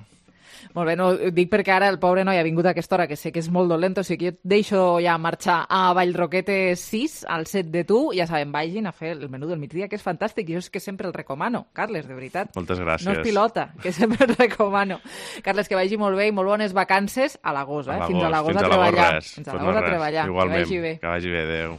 Molt bé, no, dic perquè ara el pobre noi ha vingut a aquesta hora, que sé que és molt dolent, o sigui que jo deixo ja marxar a Vallroquetes 6, al set de tu, ja sabem, vagin a fer el menú del migdia, que és fantàstic, i jo és que sempre el recomano, Carles, de veritat. Moltes gràcies. No és pilota, que sempre el recomano. Carles, que vagi molt bé i molt bones vacances a l'agost, Fins a l'agost a treballar. Fins a l'agost a treballar. Igualment, que vagi bé. Que vagi bé, adéu.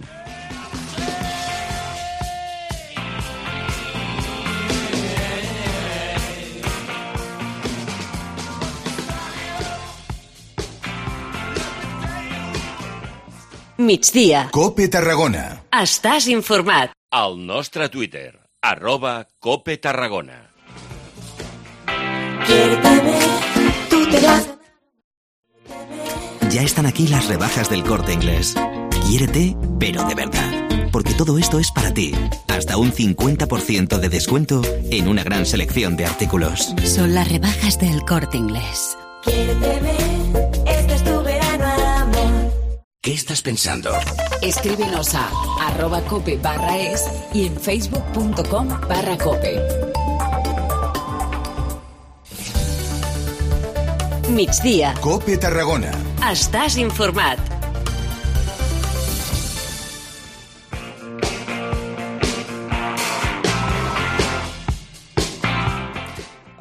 Migdia. Cope Tarragona. Estàs informat. Al nostre Twitter, @CopeTarragona. Ya están aquí las rebajas del Corte Inglés. Quiérete, pero de verdad. Porque todo esto es para ti. Hasta un 50% de descuento en una gran selección de artículos. Son las rebajas del Corte Inglés. Quiérteme, este es tu verano, amor. ¿Qué estás pensando? Escríbenos a @cope/es y en facebook.com/cope. Migdia. Cope Tarragona. Estàs informat.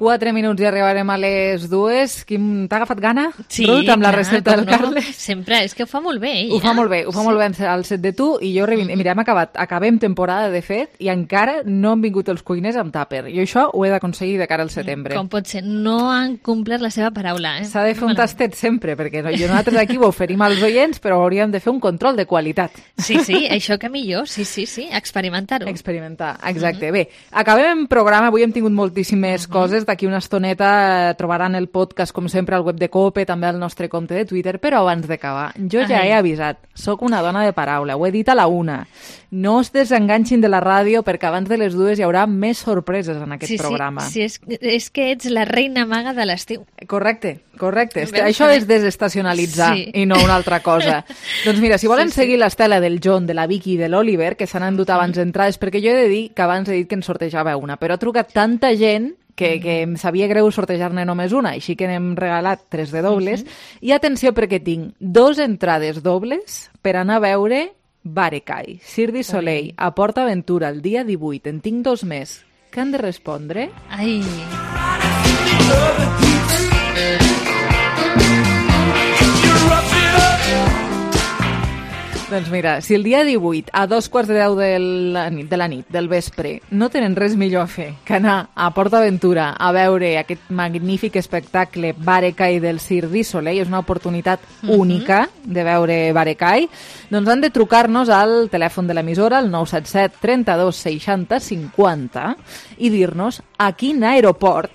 Quatre minuts i arribarem a les 2. Quim, t'ha agafat gana? Sí, Ruth, amb la recepta del Carles? Sempre, és que ho fa molt bé, ella. Ho fa molt bé al set de tu, i jo mira, acabem temporada, de fet, i encara no han vingut els cuiners amb tàper. Jo això ho he d'aconseguir de cara al setembre. Com pot ser? No han complert la seva paraula, S'ha de fer un tastet sempre, perquè nosaltres aquí ho oferim als oients, però hauríem de fer un control de qualitat. Sí, això que millor, sí, experimentar-ho. Experimentar, exacte. Bé, acabem programa, avui hem tingut moltíssimes coses. D'aquí una estoneta trobaran el podcast, com sempre, al web de COPE, també al nostre compte de Twitter, però abans d'acabar, jo ja he avisat, sóc una dona de paraula, ho he dit a la 1. No es desenganxin de la ràdio, perquè abans de les 2 hi haurà més sorpreses en aquest programa. Sí, és que ets la reina maga de l'estiu. Correcte. Això és desestacionalitzar i no una altra cosa. Doncs mira, si volen seguir l'estela del John, de la Vicky i de l'Oliver, que s'han endut abans entrades, perquè jo he de dir que abans he dit que en sortejava una, però ha trucat tanta gent que em sabia greu sortejar-ne només una, així que n'hem regalat 3 de dobles. I atenció, perquè tinc 2 entrades dobles per anar a veure Barecai, Cirque du Soleil, a Port Aventura, el dia 18. En tinc 2 més. Què han de respondre? Ai... Doncs mira, si el dia 18 a 2:15 de la nit, del vespre, no tenen res millor a fer que anar a Port Aventura a veure aquest magnífic espectacle Barecai del Cirque du Soleil, és una oportunitat única de veure Barecai, doncs han de trucar-nos al telèfon de l'emissora, el 977 32 60 50, i dir-nos a quin aeroport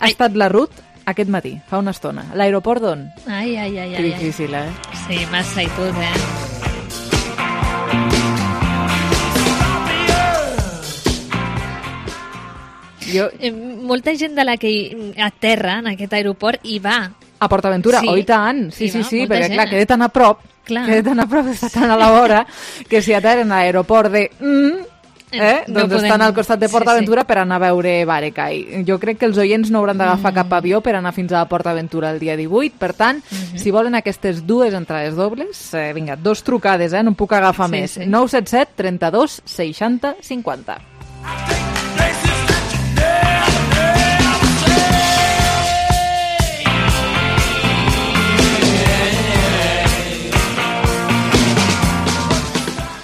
Ha estat la Ruth aquest matí, fa una estona. L'aeroport d'on? Ai. Que difícil, Sí, massa i tot, Molta gent de la que aterra en aquest aeroport hi va. A PortAventura, i tant. Sí, perquè clar, queda tan a prop, està tan a la vora, que si aterren a l'aeroport de... doncs estan al costat de PortAventura per anar a veure Barecay. Jo crec que els oients no hauran d'agafar cap avió per anar fins a PortAventura el dia 18, per tant, si volen aquestes dues entrades dobles, vinga, 2 trucades, no en puc agafar més. 977 32 60 50.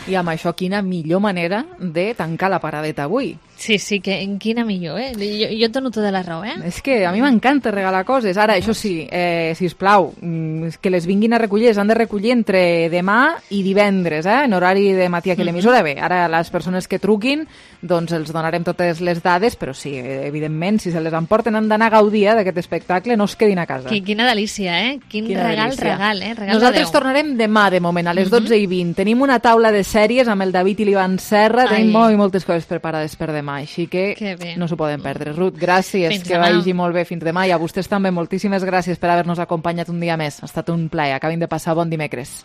I amb això, quina millor manera de tancar la paradeta avui. Sí, que quina millor, Jo et dono tota la raó, És que a mi m'encanta regalar coses. Ara, això sí, sisplau, que les vinguin a recollir, les han de recollir entre demà i divendres, en horari de matí aquí a l'emissora. Bé, ara les persones que truquin, doncs els donarem totes les dades, però sí, evidentment, si se les emporten han d'anar a gaudir d'aquest espectacle, no es quedin a casa. Quina delícia, Quin regal, Nosaltres tornarem demà, de moment, a les 12:20. Tenim una taula de sèries amb el David i l'Ivan Serra, tenim moltes coses preparades per demà, així que no s'ho poden perdre. Ruth, gràcies, que vagi molt bé fins demà, i a vostès també moltíssimes gràcies per haver-nos acompanyat un dia més. Ha estat un plaer, acabin de passar bon dimecres.